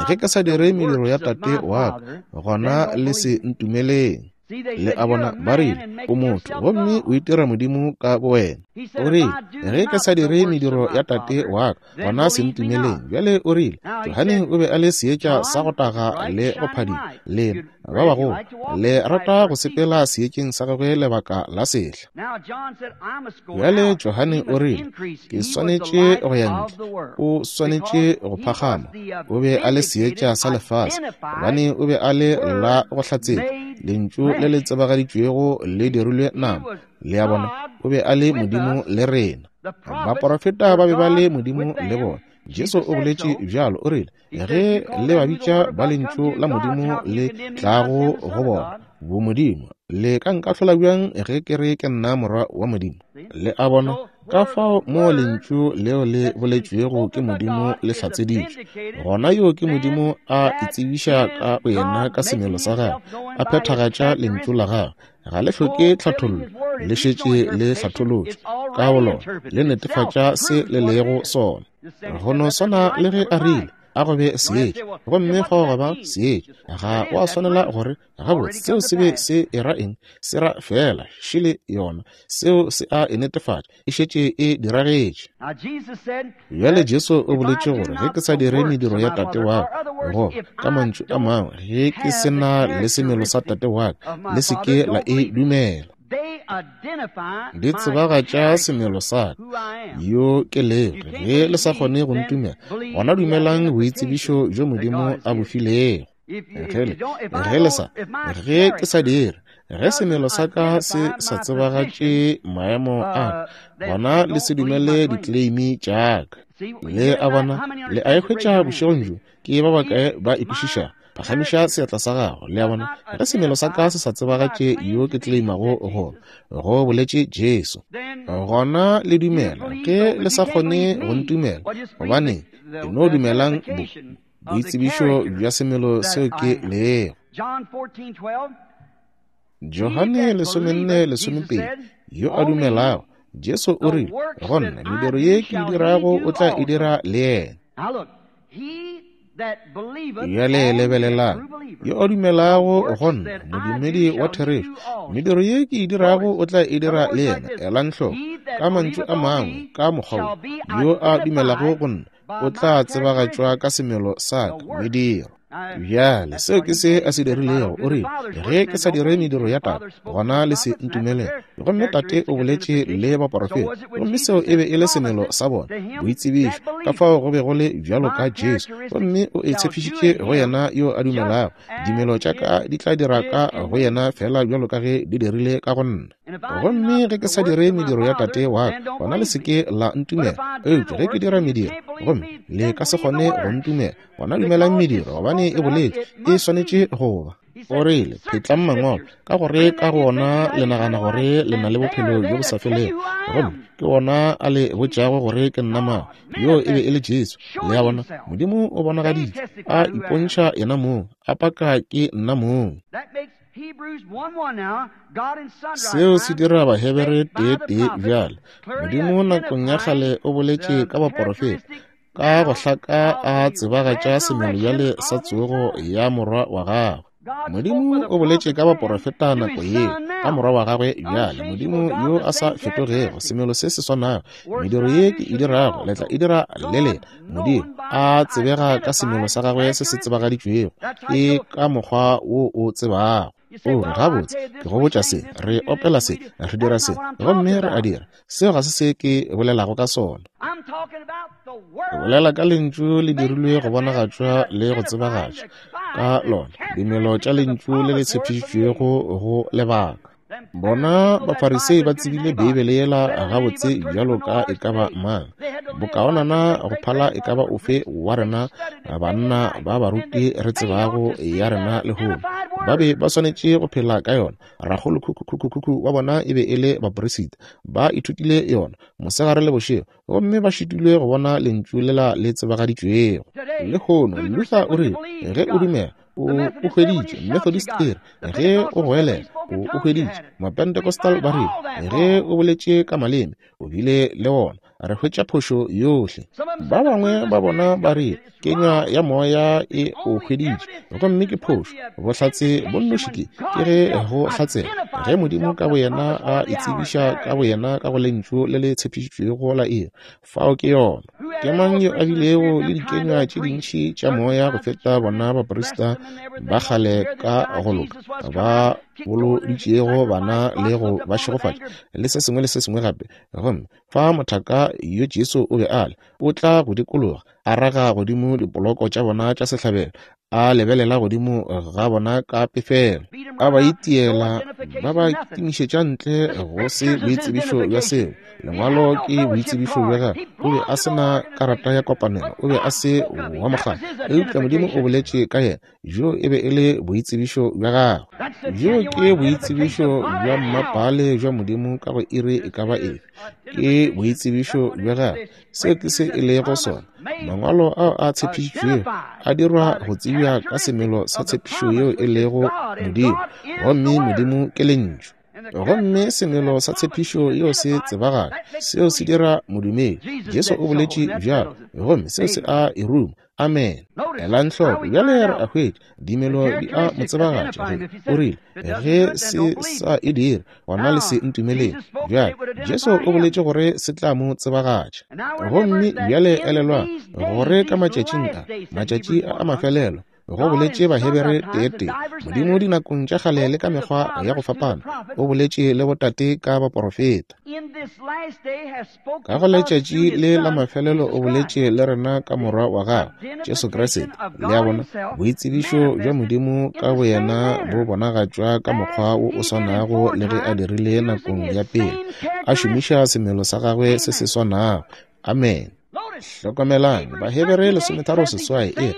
S1: Ge ke sa dire mediro ya Tate wa ka, gona le se ntumeleng. Le a bona, ba rile, O motho, gomme o itira Modimo ka bowena. O rile, Ge ke sa dire mediro ya Tate wa ka, gona se ntumeleng. Bjale o rile, Johane o be a le seetša sa go taga le go phadima. Lena, ba bagolo, le rata go sepela seetšeng sa gagwe lebaka la sehla. Bjale Johane o rile, Ke swanetše go ya ntle. O swanetše go phagama. O be a le seetša sa lefase, gobane o be a le la go hlatsetša, Lentšu le le tsebagaditšwego le dirilwe nama. Le a bona, o be a le Modimo le rena. Baporofeta ba be ba le Modimo le bona. Jesu o boletše bjalo, o rile, Ge le ba bitša ba Lentšu la Modimo le tlago go bona, bomodimo, le ka nkahlola bjang ge ke re ke nna Morwa wa Modimo? Le a bona? Ka fao moo Lentšu leo le boletšwego ke Modimo le hlatseditšwe, gona yo ke Modimo a itsebiša ka boyena ka semelo sa gagwe, a phethagatša Lentšu la gagwe. Ga le hloke tlhathollo, le šetše le hlatholotšwe ka bolona, le netefatša se le lego sona. Go no swana le ge a rile, A go be seetša, gomme fao gwa ba seetša. Ga wa swanela gore, Gabotse, seo se be se era eng? Se ra feela, šele yona. Seo se a e netefatša, e šetše e diragetše. Bjale Jesu o boletše gore, Ge ke sa dire mediro ya Tate wa ka, goba ka mantšu a mangwe, ge ke se na le semelo sa Tate wa ka, le se ke la e dumela. Di tsebagatša semelo sa ka, yo ke lego. Ge le sa kgone go ntumela, gona dumelang boitsebišo bjo Modimo a bo filego. Ge le sa, ge ke sa dire, ge semelo sa ka se sa tsebagatše maemo a ka, gona le se dumele dikleimi tša ka. Le a bona, le a e hwetša bošegong bjo, ke ba bakae ba e kwešišago? Phagamiša seatla sa gago. Le a bona, ge semelo sa ka se sa tsebagatše yo ke kleimago go, go boletše Jesu, gona le dumela. Ge le sa kgone go ntumela, gobaneng, e no dumelang bo, boitsebišo bja semelo seo ke lego. Johane 14:12, yo a dumelago, Jesu o rile, go nna mediro ye ke e dirago o tla e dira le yena. Bjale lebelelang, yo a dumelago go nna, modumedi wa therešo, mediro ye ke e dirago o tla e dira le yena. Elang hloko, ka mantšu a mangwe, ka mokgwa wo, yo a dumelago go nna o tla tsebagatšwa ka semelo sa ka, mediro. Bjale, seo ke se a se dirilego. O rile, Ge ke sa dire mediro ya Tate, gona le se ntumelele. Gomme Tate o boletše le baporofeta, gomme seo e be e le semelo sa bona, boitsebišo, ka fao go be go le bjalo ka Jesu. Gomme o e tshepišitše go yena yo a dumelago, Dimelo tša ka di tla dira ka go yena feela bjalo ka ge di dirile ka go nna. Gomme ge ke sa dire mediro ya Tate wa ka, gona le se ke la ntumela. Eupša ge ke dira mediro, gomme le ka se kgone go ntumela, gona dumelang mediro, gobane e boletše e swanetše go ba. O rile, Phetlang Mangwalo, ka gore ka go ona le nagana gore le na le bophelo bjo bo sa felego, gomme ke ona a le botšago gore ke nna mang. Yoo e be e le Jesu. Le a bona, Modimo o bonagaditše, a ipontšha yena mong, a paka ke nna mong. Seo se dira Bahebere tee-tee bjale. Modimo nakong ya kgale o boletše ka baporofeta, ka go hlaka a tsebagatša semelo bjale sa tsogo ya Morwa wa gagwe. Modimo o boletše ka baporofeta nako yeo, ka Morwa wa gagwe bjale. Modimo yo a sa fetogego, semelo se se swanago, mediro ye ke e dirago, le tla e dira le lena. Modimo a tsebega ka semelo sa gagwe se se tsebagaditšwego, ke ka mokgwa wo o tsebago. O re, Gabotse, ke go botša se, re opela se, re dira se, gomme re a dira. Seo ga se se ke bolelago ka sona. Ke bolela ka Lentšu le dirilwe go bonagatšwa le go tsebagatšwa ka lona, dimelo tša Lentšu le le tshepišitšwego go lebaka. Bona Bafarisei ba tsebile Beibele yela gabotse bjalo ka e ka ba mang, bokaonana go phala e ka ba ofe wa rena banna ba baruti re tsebago ya rena lehono. Ba be ba swanetše go phela ka yona. Rakgolokhukhu wa bona e be e le baperisita. Ba ithutile yona mosegare le bošego, gomme ba šitilwe go bona Lentšu lela le tsebagaditšwego. Lehono, Luther o rile, ge o dumela, o o hweditše. Methodist e re, ge o goelela, o o hweditše. Mapentecostal ba rile, ge o boletše ka maleme, o bile le wona. Re hwetša phošo yohle. Ba bangwe ba bona ba rile, kenywa ya moya e o hweditše, gomme ke phošo. Bohlatse bo nnoši ke, ke ge go hlatsela, ge Modimo ka boyena a itsebiša ka boyena ka go Lentšu le le tshepišitšwego la iri. Fao ke yona. Ke mang yo a bilego le dikenywa tše dintši tša moya go feta bona baprista ba kgale ka go loka ba boloditšego bana le go ba šegofatša le se sengwe le se sengwe gape? Gomme fa mothaka yo Jesu o be a le, o tla go dikologa, a raga godimo dipoloko tša bona tša sehlabelo, a lebelela godimo ga bona ka pefelo, a ba itiela, ba ba kitimišetša ntle go se boitsebišo bja seo. Lengwalo ke boitsebišo bja gagwe. O be a se na karata ya kopanelo, o be a se wa mokgatlo, eupša Modimo o boletše ka yena. Bjo e be e le boitsebišo bja gagwe. Bjo ke boitsebišo bja mmapale bja Modimo ka go iri e ka ba efe. Ke boitsebišo bja gagwe. Seo ke se e lego sona. Mangwalo ao a tshepišitšwego a dirwa go tsebja ka semelo sa tshepišo yeo e lego Modimo, gomme Modimo ke Lentšu. Gomme semelo sa tshepišo yeo se tsebagala, seo se dira modumedi. Jesu o boletše bjalo, gomme seo se a e ruma. Amene. Elang hloko, bjale re a hwetša, dimelo di a mo tsebagatša. Ge o rile, ge se sa e dire, gona le se ntumeleng. Bjale, Jesu o boletše gore se tla mo tsebagatša. Gomme bjale elelwang, gore ka matšatšing a, matšatši a a mafelelo, go boletše Bahebere teetee, Modimo dinakong tša kgale le ka mekgwa ya go fapana, o boletše le botate ka baporofeta. Ka go letšatši le la mafelelo o boletše le rena ka Morwa wa gagwe, Jesu Kriste. Le a bona, boitsebišo bja Modimo ka boyena bo bonagatšwa ka mokgwa wo o swanago le ge a dirile nakong ya pele, a šomiša semelo sa gagwe se se swanago. Amene. Hlokomelang, Bahebere 13:8 e re,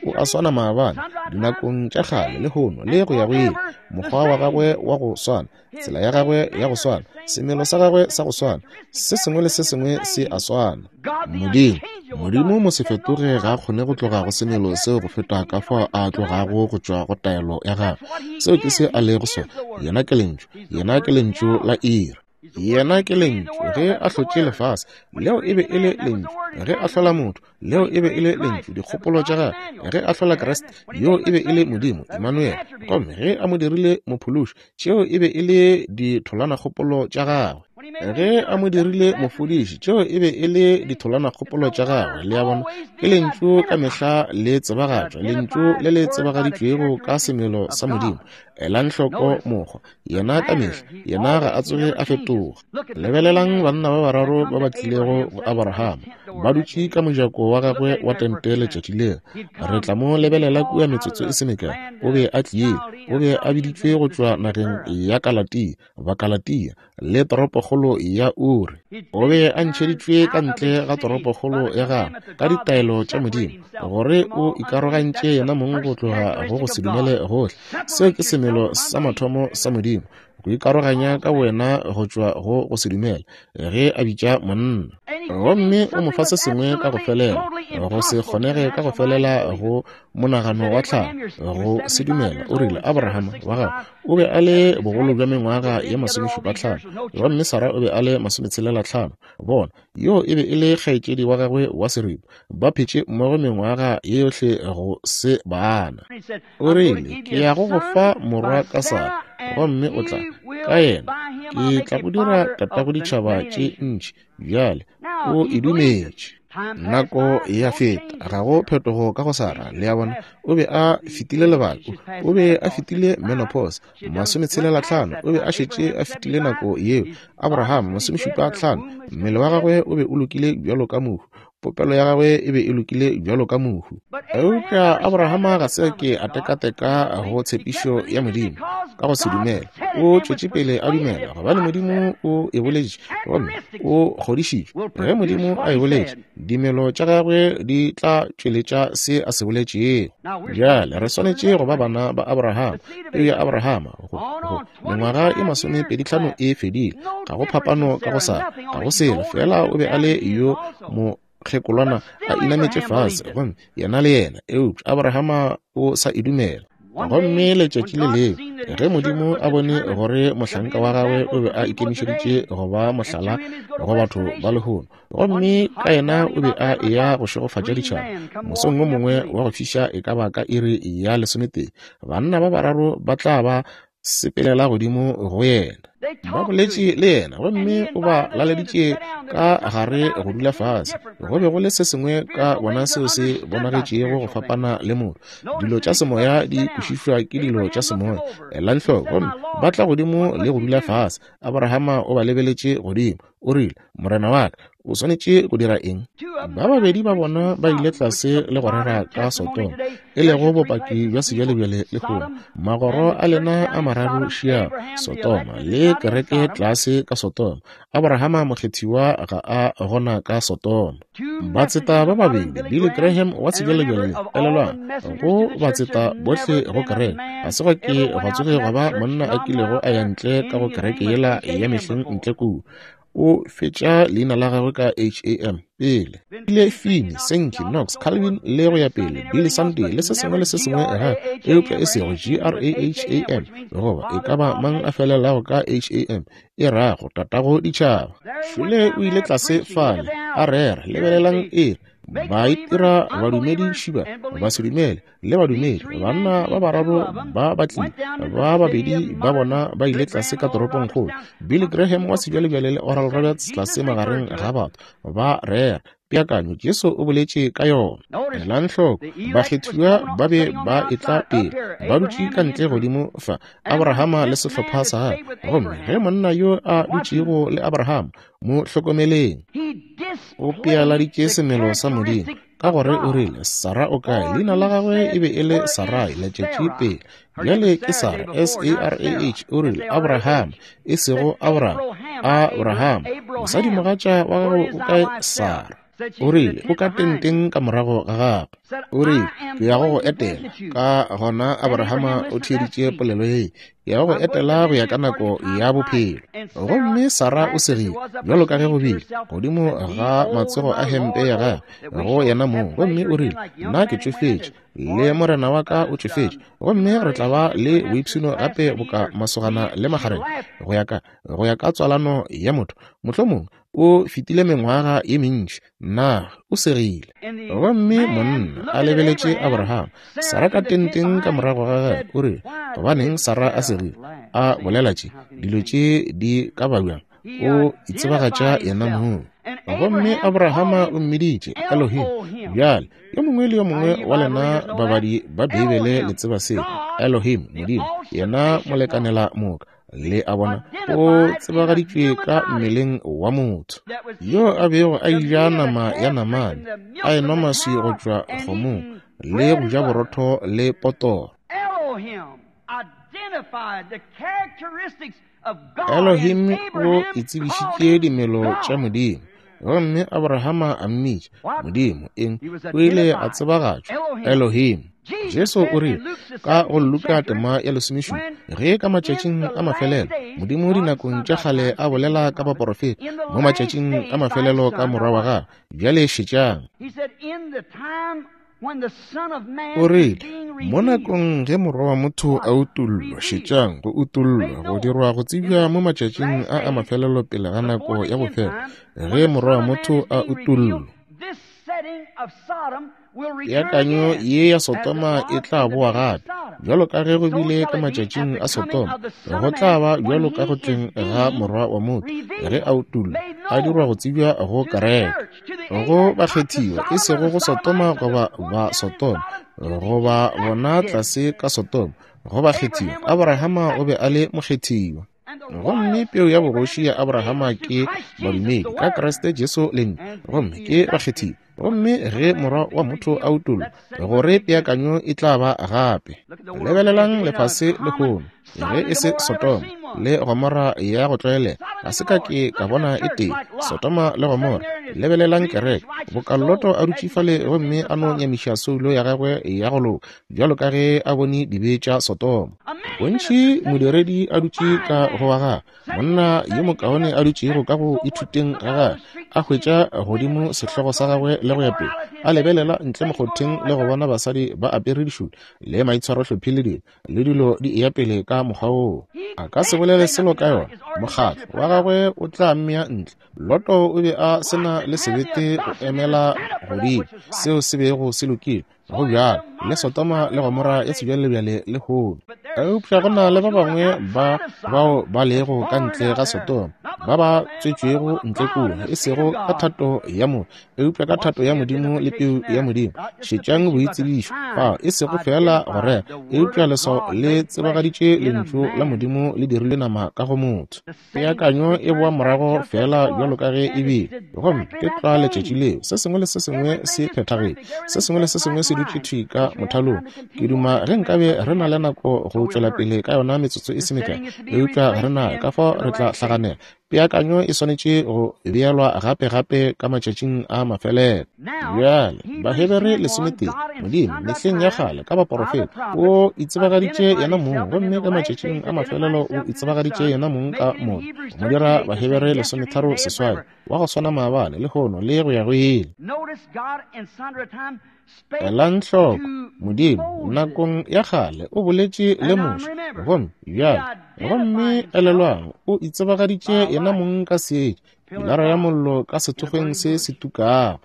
S1: O a swana maabane, dinakong tša kgale, lehono, le go ya go ile. Mokgwa wa gagwe wa go swana, tsela ya gagwe ya go swana, semelo sa gagwe sa go swana, se sengwe le se sengwe se a swana. Modimo, Modimo mosefetoge ga a kgone go tloga go semelo seo go feta ka fao a tlogago go tšwa go taelo ya gagwe. Seo ke se a lego sona. Yena ke Lentšu. Yena ke Lentšu la iri. Yena ke Lentšu. Ge a hlotše lefase, leo e be e le Lentšu. Ge a hlola motho, leo e be e le Lentšu, dikgopolo tša gagwe. Ge a hlola Kriste, yoo e be e le Modimo, Emmanuel. Gomme ge a mo dirile Mophološi, tšeo e be e le ditholanakgopolo tša gagwe. Ge a mo dirile mofodiši, tšeo e be e le ditholanakgopolo tša gagwe. Le a bona, ke Lentšu ka mehla le tsebagatšwa, Lentšu le le tsebagaditšwego ka semelo sa Modimo. Elang hloko mokgwa, yena ka mehla, yena ga a tsoge a fetoga. Lebelelang banna ba bararo ba ba tlilego go Abrahama, ba dutše ka mojako wa gagwe wa tente letšatši leo. Re tla mo lebelela kua metsotso e se mekae. O be a tlile, o be a biditšwe go tšwa nageng ya Kalatia, Bakalatia, le toropokgolo ya Uri. O be a ntšheditšwe ka ntle ga toropokgolo ya gagwe ka ditaelo tša Modimo, gore o ikarogantše yena mong go tloga go go se dumele gohle. Seo ke semelo sa mathomo sa Modimo, go ikaroganya ka wena go tšwa go go se dumele, ge a bitša monna. Gomme o mo fa se sengwe ka go felela, go se kgonege ka go felela go monagano wa tlhago, go se dumela. O rile, Abrahama wa gago o be a le bogolo bja mengwaga ye 75, gomme Sara o be a le 65. Bona, yoo e be e le kgaetšedi wa gagwe wa seripa. Ba phetše mmogo mengwaga ye yohle go se bana. O rile, Ke ya go go fa morwa ka Sara, gomme o tla, ka yena, ke tla go dira tatago ditšhaba tše ntši. Bjale, o e dumetše. Nako ya feta, ga go phetogo ka go Sara. Le a bona, o be a fetile lebaka, o be a fetile menopause, 65, o be a šetše a fetile nako yeo. Abraham, 75, mmele wa gagwe o be o lokile bjalo ka mohu, popelo ya gagwe e be e lokile bjalo ka mohu. Eupša Abrahama ga se ke a tekateka go tshepišo ya Modimo ka go se dumele. O tšwetše pele a dumela, gobane Modimo o e boletše gomme o kgodišitšwe. Ge Modimo a e boletše, dimelo tša gagwe di tla tšweletša se a se boletšego. Bjale re swanetše go ba bana ba Abrahama, peu ya Abrahama. Go mengwaga e 25 e fedile, ga go phapano ka go sa, ga go selo, fela o be a le yo mokgekolwana a inametše fase, gomme yena le yena, eupša Abrahama o sa e dumela. Gomme letšatši le lengwe ge Modimo a bone gore mohlanka wa gagwe o be a ikemišeditše go ba mohlala go batho ba lehono, gomme ka yena o be a eya go šegofatša ditšhaba, mosong wo mongwe wa go fiša e ka ba ka iri ya 11, banna ba bararo ba tla ba sepelela godimo go yena. Ba boletše le yena, gomme o ba laleditše ka gare go dula fase. Go be go le se sengwe ka bona seo se bonagetšego go fapana le motho. Dilo tša semoya di kwešišwa ke dilo tša semoya. Elang hloko, gomme ba tla godimo le go dula fase. Abrahama o ba lebeletše godimo, o rile, Morena wa ka, o swanetše go dira eng? Ba babedi ba bona ba ile tlase le go rera ka Sodoma, e lego bopaki bja sebjalebjale lehono. Magoro a lena a mararo šia Sodoma, le kereke tlase ka Sodoma. Abrahama mokgethiwa ga a gona ka Sodoma. Batseta ba babedi, Billy Graham wa sebjalebjale, elelwang, go batseta bohle go kereke, ga se gwa ke gwa tsoge gwa ba monna a kilego a ya ntle ka go kereke yela ya mehleng ntle kua. O fetša leina la gagwe ka H-A-M pele. Ile Finney, Sankey, Knox, Calvin le go ya pele, Billy Sunday le se sengwe le se sengwe ga, eupša e sego G-R-A-H-A-M, goba e ka ba mang a felelago ka H-A-M, e rago tatago ditšhaba. Šole o ile tlase fale, a rera, lebelelang iri. Ba itira badumedi šiba, basedumele, le badumedi. Banna ba bararo ba ba tlile, ba babedi ba bona ba ile tlase ka toropongkgolo. Billy Graham wa sebjalebjale le Oral Roberts tlase magareng ga batho, ba rera. Peakanyo, Jesu o boletše ka yona. Elang hloko, bakgethiwa ba be ba etla pele, ba dutše ka ntle godimo fa, Abrahama le sehlopha sa gagwe. Gomme ge monna yo a dutšego le Abrahama, mo hlokomeleng, o pealaditše semelo sa Modimo, ka gore o rile, Sara o kae? Leina la gagwe e be e le Sarai letšatši pele. Bjale ke Sara, S-A-R-A-H, o rile, Abraham, e sego Abraham, Abraham, mosadimogatša wa gago o kae? Sara. O rile, o ka tenteng ka morago ga gagwe. O rile, ke ya go go etela. Ka gona Abrahama o theeditše polelo ye, ke ya go go etela go ya ka nako ya bophelo. Gomme Sara o segile, bjalo ka ge go bile, godimo ga matsogo a hempe ya gagwe, go yena mong. Gomme o rile, nna ke tšofetše, le morena wa ka o tšofetše, gomme re tla ba le boipshino gape boka masogana le magareng, go ya ka, go ya ka tswalano ya motho. Mohlomongwe o fetile mengwaga ye mentši, na o segile. Gomme monna a lebeletše Abraham, Sara ka tenteng ka morago ga gagwe, o rile, gobaneng Sara a segile, a bolela tše, dilo tše di ka ba bjang? O itsebagatša yena mong. Gomme Abrahama o mmiditše Elohim. Bjale, yo mongwe le yo mongwe wa lena babadi ba Beibele le tseba seo. Elohim, Modimo, yena molekanela moka. Le a bona, o tsebagaditšwe ka mmeleng wa motho, yo a bego a eja nama ya namane, a enwa maswi go tšwa kgomong, le go ja borotho le potoro. Elohim o itsebišitše dimelo tša Modimo, gomme Abrahama a mmitša Modimo. Eng? O ile a tsebagatšwa Elohim. Jesu o rile ka go Luka tema ya 17, ge ka matšatšing a mafelelo Modimo dinakong tša kgale a bolela ka baporofeta, mo matšatšing a mafelelo ka Morwa wa gagwe. Bjale šetšang. O rile, mo nakong ge Morwa wa motho a utollwa, šetšang, go utollwa, go dirwa go tsebja mo matšatšing a a mafelelo pele ga nako ya bofelo, ge Morwa wa motho a utollwa. Peakanyo ye ya Sodoma e tla boa gape, bjalo ka ge go bile ka matšatšing a Sodoma, go tla ba bjalo ka go tleng ga Morwa wa motho, ge a utollwa, a dirwa go tsebja go kereke, go bakgethiwa, e sego go Sodoma goba ba Sodoma, goba bona tlase ka Sodoma, go bakgethiwa. Abrahama o be a le mokgethiwa. Gomme peu ya bogoši ya Abrahama ke badumedi ka Kriste Jesu Lentšu, gomme ke bakgethiwa. Gomme ge Morwa wa motho a utollwa, gore peakanyo e tla ba gape. Lebelelang lefase lehono, ge e se Sodoma le Gomora ya go tlwaelega, ga se ka ke ka bona e tee, Sodoma le Gomora. Lebelelang kereke, boka Loto a dutše fale gomme a no nyamiša soulo ya gagwe ya go loka, bjalo ka ge a bone dibe tša Sodoma. Bontši modiredi a dutše ka go wa gagwe, monna yo mokaone a dutšego ka go ithuteng ga gagwe, a hwetša godimo sehlogo sa gagwe le go ya pele, a lebelela ntle mokgotheng le go bona basadi ba apere dišutu le maitshwarohlephi le dilo, le dilo di eya pele ka mokgwa woo. A ka se bolele selo ka yona, mokgatlo wa gagwe o tla mmea ntle. Loto o be a se na le sebete go emela godimo seo se bego se lokile. Go bjalo le Sodoma le Gomora ya sebjalebjale lehono. Eupša go na le ba bangwe ba bao ba lego ka ntle ga Sodoma, ba ba tswetšwego ntle kua, e sego ka thato ya motho, eupša ka thato ya Modimo le peu ya Modimo. Šetšang boitsebišo fao, e sego feela go rera, eupša leswao le tsebagaditše Lentšu la Modimo le dirilwe nama ka go motho. Peakanyo e boa morago feela bjalo ka ge e bile, gomme ke tlwa letšatši leo. Se sengwe le se sengwe se phethagetše, se sengwe le se sengwe se dutše thwi ka mothalong. Ke duma ge nkabe re na le nako go tšwela pele ka yona metsotso e se mekae, eupša ga re nayo, ka fao re tla hlaganela. Peakanyo e swanetše go beelwa gape gape ka matšatšing a mafelelo. Bjale, Bahebere 11, Modimo, mehleng ya kgale, ka baporofeta, o itsebagaditše yena mong, gomme ka matšatšing a mafelelo o itsebagaditše yena mong ka Morwa, go mo dira Bahebere 13 seswai, wa go swana maabane, lehono, le go ya go ile. Elang hloko, Modimo, nakong ya kgale, o boletše le Moshe, gomme bjale, gomme elelwang, o itsebagaditše yena mong ka seetša, pilara ya mollo ka sethokgweng se se tukago.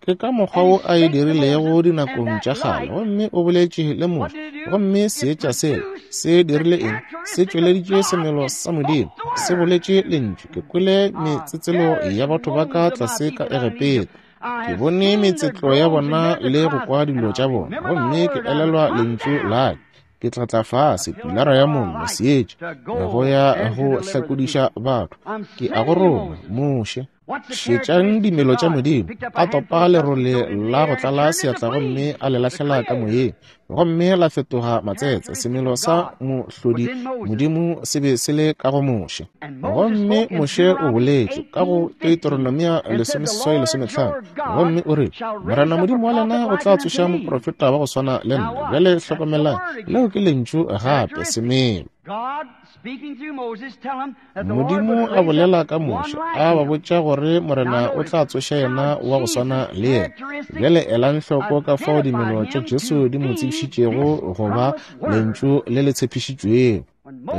S1: Ke ka mokgwa wo a e dirilego dinakong tša kgale, gomme o boletše le Moshe. Gomme seetša sela se dirile eng? Se tšweleditše semelo sa Modimo, se boletše Lentšu. Ke kwele metsetselo ya batho ba ka tlase ka Egepeta. Ke bone metsetlo ya bona le go kwa dilo tša bona, gomme ke elelwa Lentšu la ka. Ke tla tla fase, pilara ya mollo, seetša, go ya go hlakodiša batho. Ke a go roma, Moshe. Šetšang dimelo tša Modimo. A topa lerole la go tlala seatla gomme a le lahlela ka moyeng, gomme la fetoga matsetse. Semelo sa mohlodi Modimo se be se le ka go Moshe. Gomme Moshe o boletše ka go Deuteronomia 18:15, gomme o rile, Morena Modimo wa lena o tla tsoša moprofeta wa go swana le nna. Bjale hlokomelang, leo ke lentšu gape, semelo. Modimo a bolela ka Moshe, a ba botša gore Morena o tla tsoša yena wa go swana le yena. Bjale elang hloko ka fao dimelo tša Jesu di mo tsebišitšego go ba lentšu le le tshepišitšwego.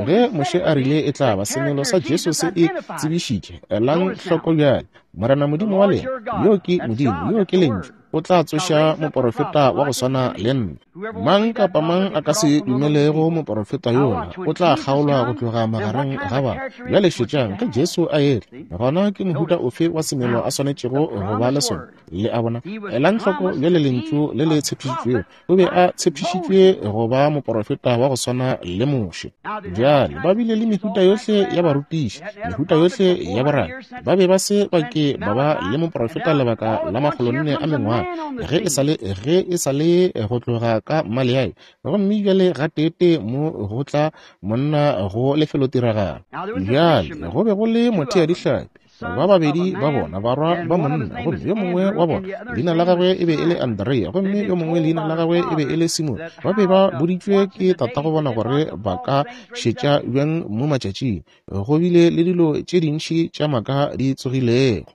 S1: Ge Moshe a rile e tla ba, semelo sa Jesu se e tsebišitše. Elang hloko bjale, Morena Modimo wa lena, yo ke Modimo, yo ke lentšu, o tla tsoša moporofeta wa go swana le nna. Mang kapa mang a ka se dumelego moporofeta yola o tla kgaolwa go tloga magareng ga batho. Bjale šetšang, ge Jesu a etla, gona ke mohuta ofe wa semelo a swanetšego go ba le sona? Le a bona? Elang hloko bjale lentšu le le tshepišitšwego. O be a tshepišitšwe go ba moporofeta wa go swana le Moshe. Bjale ba bile le mehuta yohle ya barutiši, mehuta yohle ya borabi. Ba be ba se ba ke ba ba le moporofeta lebaka la 400 a mengwaga, ge e sa le go tloga ka Maleai. Gomme bjale gateetee mo go tla monna go lefelotiragalo. Bjale go be go le motheadihlapi, ba babedi ba bona, barwa ba monna, gomme yo mongwe wa bona leina la gagwe e be e le Andrea, gomme yo mongwe leina la gagwe e be e le Simone. Ba be ba boditšwe ke tatago bona gore ba ka šetša bjang mo matšatšing. Go bile le dilo tše dintši tša maaka di tsogilego.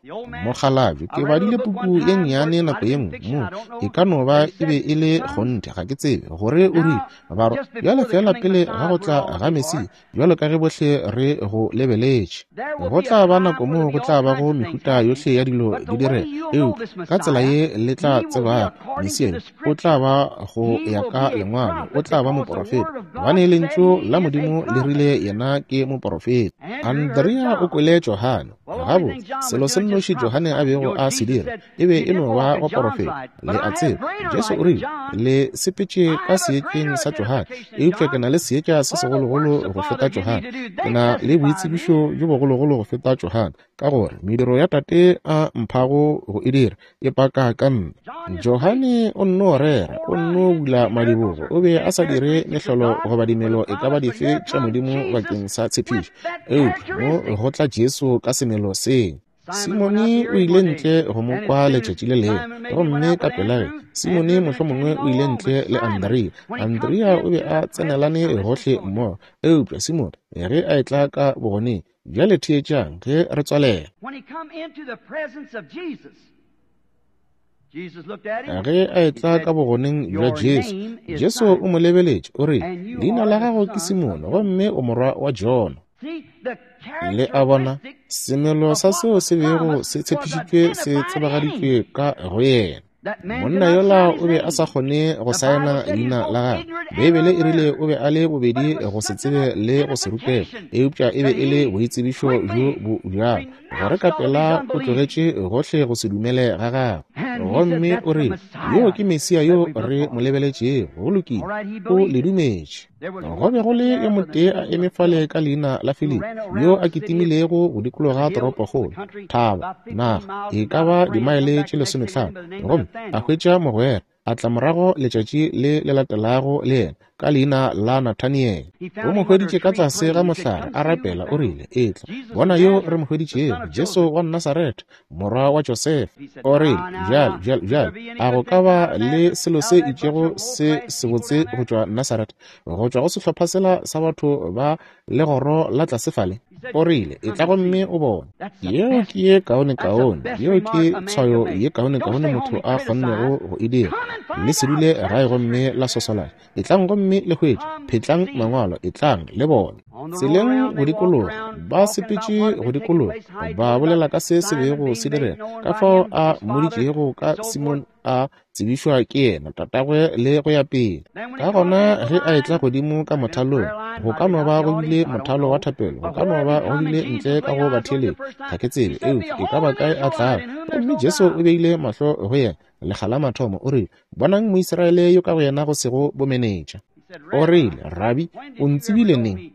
S1: Mokgalabje, ke badile puku ye nnyane nako ye nngwe mo, e ka no ba e be e le kgonthe, ga ke tsebe, gore o rile, barwa, bjale feela pele ga go tla ga Mesia, bjalo ka ge bohle re go lebeletše, go tla ba nako moo go tla bago mehuta yohle ya dilo di direga, eupša ka tsela ye le tla tsebago Mesia o tla ba go ya ka Lengwalo, o tla ba moporofeta, gobane lentšu la Modimo le rile yena ke moporofeta. Andrea o kwele Johane. Gabotse, selo se nnoši Johane a bego a se dira e be e no ba go porofeta. Le a tseba, Jesu o rile, le sepetše ka seetšeng sa Johane, eupša ke na le seetša se segologolo go feta Johane. Ke na le boitsebišo bjo bogologolo go feta Johane, ka gore mediro ya Tate a mphago go e dira e paka ka nna. Johane o nno rera, o nno bula madibogo, o be a sa dire mehlolo goba dimelo e ka ba dife tša Modimo bakeng sa tshepišo, eupša mo go tla Jesu ka semelo se. Simone o ile ntle go mo kwa letšatši le lengwe, gomme ka pela ge Simone mohlomongwe o ile ntle le Andrea. Andrea o be a tsenelane gohle mmogo, eupša Simone ge a etla ka bogoneng. Bjale theetšang ge re tswalela. Ge a etla ka bogoneng bja Jesu, Jesu o mo lebeletše, o rile, leina la gago ke Simone, gomme o morwa wa Jona. Le a bona, semelo sa seo se bego se tshepišitšwe se tsebagaditšwe ka go yena. Monna yola o be a sa kgone go saena leina la gagwe. Beibele e rile o be a le bobedi go se tsebe le go se rutege, eupša e be e le boitsebišo bjo bo bjalo gore ka pela o tlogetše gohle go se dumele ga gagwe. Gomme o rile, yo ke Mesia yo re mo lebeletšego. Go lokile, o le dumetše. Go be go le yo motee a eme fale ka leina la Filipi, yo a kitimilego go dikologa toropokgolo, thaba, naga, e ka ba dimaele tše 15, gomme a hwetša mogwera, a tla morago letšatši le le latelago le yena ka leina la Nathaniele. O mo hweditše ka tlase ga mohlare a rapela, o rile, etla, bona yo re mo hweditšego, Jesu wa Nasaretha, morwa wa Josefa. O rile, bjale, bjale, bjale, a go ka ba le selo se itšego se sebotse go tšwa Nasaretha, go tšwa go sehlopha sela sa batho ba legoro la tlase fale? O rile, etla gomme o bone. Yeo ke ye kaonekaone, yeo ke tshwayo ye kaonekaone motho a kgonnego go e dira. Le se dule gae gomme la sosolana. Etlang gomme le hwetše, phetlang mangwalo, etlang le bone. Tseleng go dikologa, ba sepetše go dikologa, ba bolela ka se se bego se direga, ka fao a mmoditšego ka Simon a tsebišwa ke yena, tatagwe le go ya pele. Ka gona ge a etla godimo ka mothalong, go ka no ba go bile mothalo wa thapelo, go ka no ba go bile ntle ka go batheeletši, ga ke tsebe, eupša e ka ba kae a tlago. Gomme Jesu o beile mahlo go yena, lekga la mathomo, o rile, Bonang Moisraele yo ka go yena go sego bomenetša. O rile, Rabi, o ntsebile neng?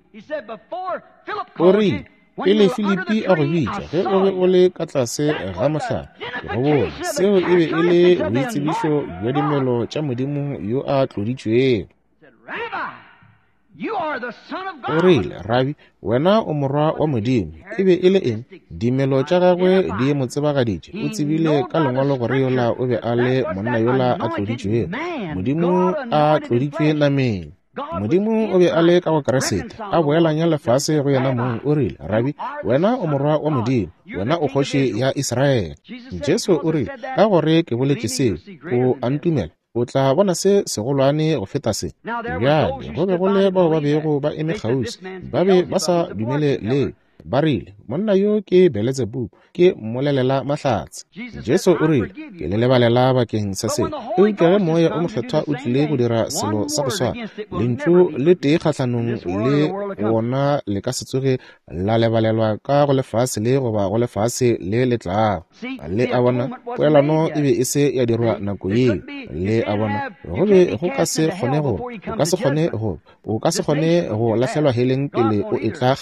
S1: O rile, Pele Filipi a go bitša, ge o be o le ka tlase ga mohlare, ke go bone. Seo e be e le boitsebišo bja dimelo tša Modimo yo a tloditšwego. O rile, Rabi, wena o morwa wa Modimo. E be e le eng? Dimelo tša gagwe di mo tsebagaditše. O tsebile ka Lengwalo gore yola o be a le monna yola a tloditšwego, Modimo a tloditšwe nameng. Modimo o be a le ka go Kriste, a boelanya lefase go yena mong. O rile, Rabi, wena o morwa wa Modimo, wena o kgoši ya Israele. Jesu o rile, Ka gore ke boletše seo, o a ntumela? O tla bona se segolwane go feta se. Bjale, go be go le bao ba bego ba eme kgauswi, ba be ba sa dumele leo. Ba rile, Monna yo ke Beletsebubu, ke mmolelela mahlatse. Jesu o rile, Ke le lebalela bakeng sa se. Eupša ge Moya o Mokgethwa o tlile go dira selo sa go swana, lentšu le tee kgahlanong le wona le ka se tsoge la lebalelwa ka go lefase le goba go lefase le le tlago. Le a bona, poelano e be e se ya dirwa nako yeo. Le a bona, go be go ka se kgone go, o ka se kgone go, o ka se kgone go lahlelwa heleng pele o etla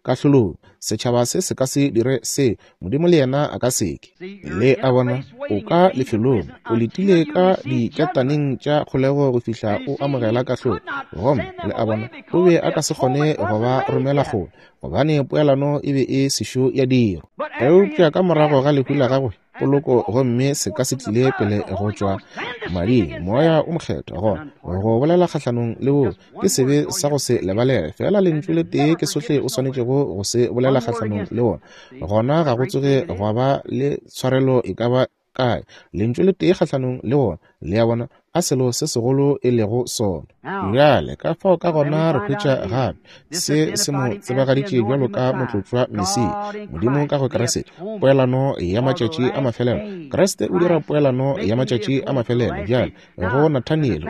S1: kahlolong. Setšhaba se se ka se dire se, Modimo le yena a ka se ke. Le a bona, o ka lefelong, o letile ka diketaneng tša kgolego go fihla o amogela kahlolo. Gomme, le a bona, o be a ka se kgone go ba romela kgole, gobane poelano e be e sešo ya dirwa. Eupša ka morago ga lehu la gagwe, poloko gomme se ka se tlile pele go tšwa mading, Moya o Mokgethwa, gona go bolela kgahlanong le wo ke sebe sa go se lebalege. Fela lentšu le tee ke sohle o swanetšego go se bolela kgahlanong le wona, gona ga go tsoge gwa ba le tshwarelo e ka ba kae. Lentšu le tee kgahlanong le wona, le a bona, a selo se segolo e lego sona. Bjale, ka fao ka gona re hwetša gape se se mo tsebagaditše bjalo ka motlotšwa Mesia, Modimo ka go Kriste, poelano ya matšatši a mafelelo. Kriste o dira poelano ya matšatši a mafelelo. Bjale, go Nathaniele,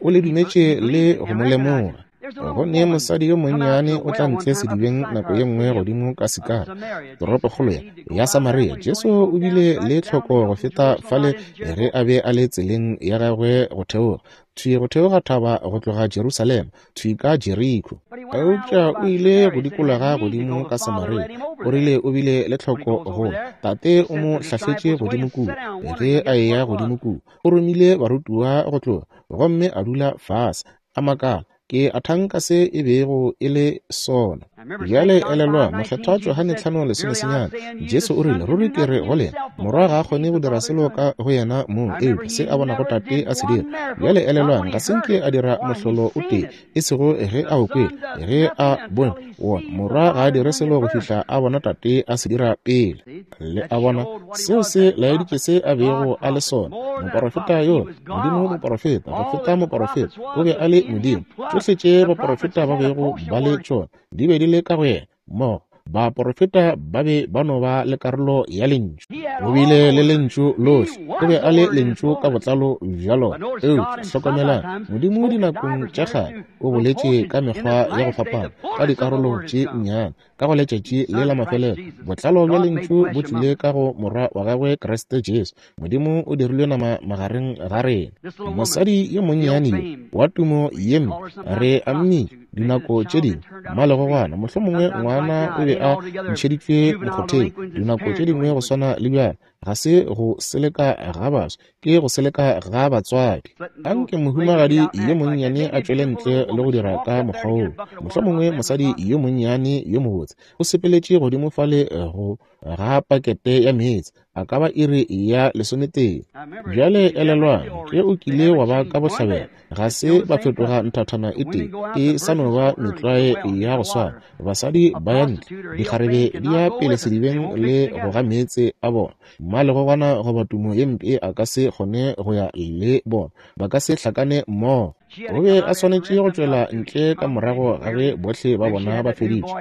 S1: o le dumetše le go mo lemoga. Go ne mosadi yo monnyane o tla ntle sedibeng nako ye nngwe godimo ka Sikara, toropokgolo ya Samaria. Jesu o bile le tlhoko go feta fale ge a be a le tseleng ya gagwe go theoga, thwi go theoga thaba go tloga Jerusalema, thwi ka Jeriko. Eupša o ile go dikologa godimo ka Samaria. O rile o bile le tlhoko go Tate o mo hlahletše godimo kua. Ge a eya godimo kua, o romile barutiwa go tloga, gomme a dula fase, a makala, Ke a thanka se e bego e le sona. Bjale elelwang, Mokgethwa Johane 5:19, Jesu o rile, Ruri ke re go lena, Morwa ga a kgone go dira selo ka go yena mong, eupša se a bonago Tate a se dira. Bjale elelwang, ga se nke a dira mohlolo o tee, e sego ge a o kwele, ge a bone wona. Morwa ga a dire selo go fihla a bona Tate a se dira pele. Le a bona, seo se laeditše se a bego a le sona, moporofeta yola. Modimo moporofeta, go feta moporofeta, o be a le Modimo. Tšohle tše baporofeta ba bego ba le tšona di be di le ka go yena. Mmogo, baporofeta ba be ba no ba le karolo ya Lentšu. O bile le Lentšu lohle. O be a le Lentšu ka botlalo bja lona. Eupša hlokomelang, Modimo dinakong tša kgale o boletše ka mekgwa ya go fapana, ka dikarolo tše nnyane. Ka go letšatši le la mafelelo, botlalo bja Lentšu bo tlile ka go Morwa wa Gagwe, Kriste Jesu. Modimo o dirilwe nama magareng ga rena. Mosadi yo monnyane yo wa tumo ye mpe, re a mmitša dinako tše dingwe mmalegogwana, mohlomongwe ngwana o be a ntšheditšwe mokgotheng dinako tše dingwe go swana le bjale. Ga se go seleka ga baswa, ke go seleka ga batswadi. Anke mohumagadi yo monnyane a tšwele ntle le go dira ka mokgwa woo. Mohlomongwe mosadi yo monnyane yo mobotse o sepeletše godimo fale go ga pakete ya meetse, a ka ba iri ya lesometee. Bjale elelwang, ge o kile wa ba ka bohlabela, ga se ba fetoga nthathana e tee, e sa no ba metlwae ya go swana. Basadi ba ya ntle, dikgarebe di ya pele sedibeng le go ga meetse a bona. Mmalegogwana goba tumo ye mpe a ka se kgone go ya le bona, ba ka se hlakane mmogo. O be a swanetše go tšwela ntle ka morago ga ge bohle ba bona ba feditše.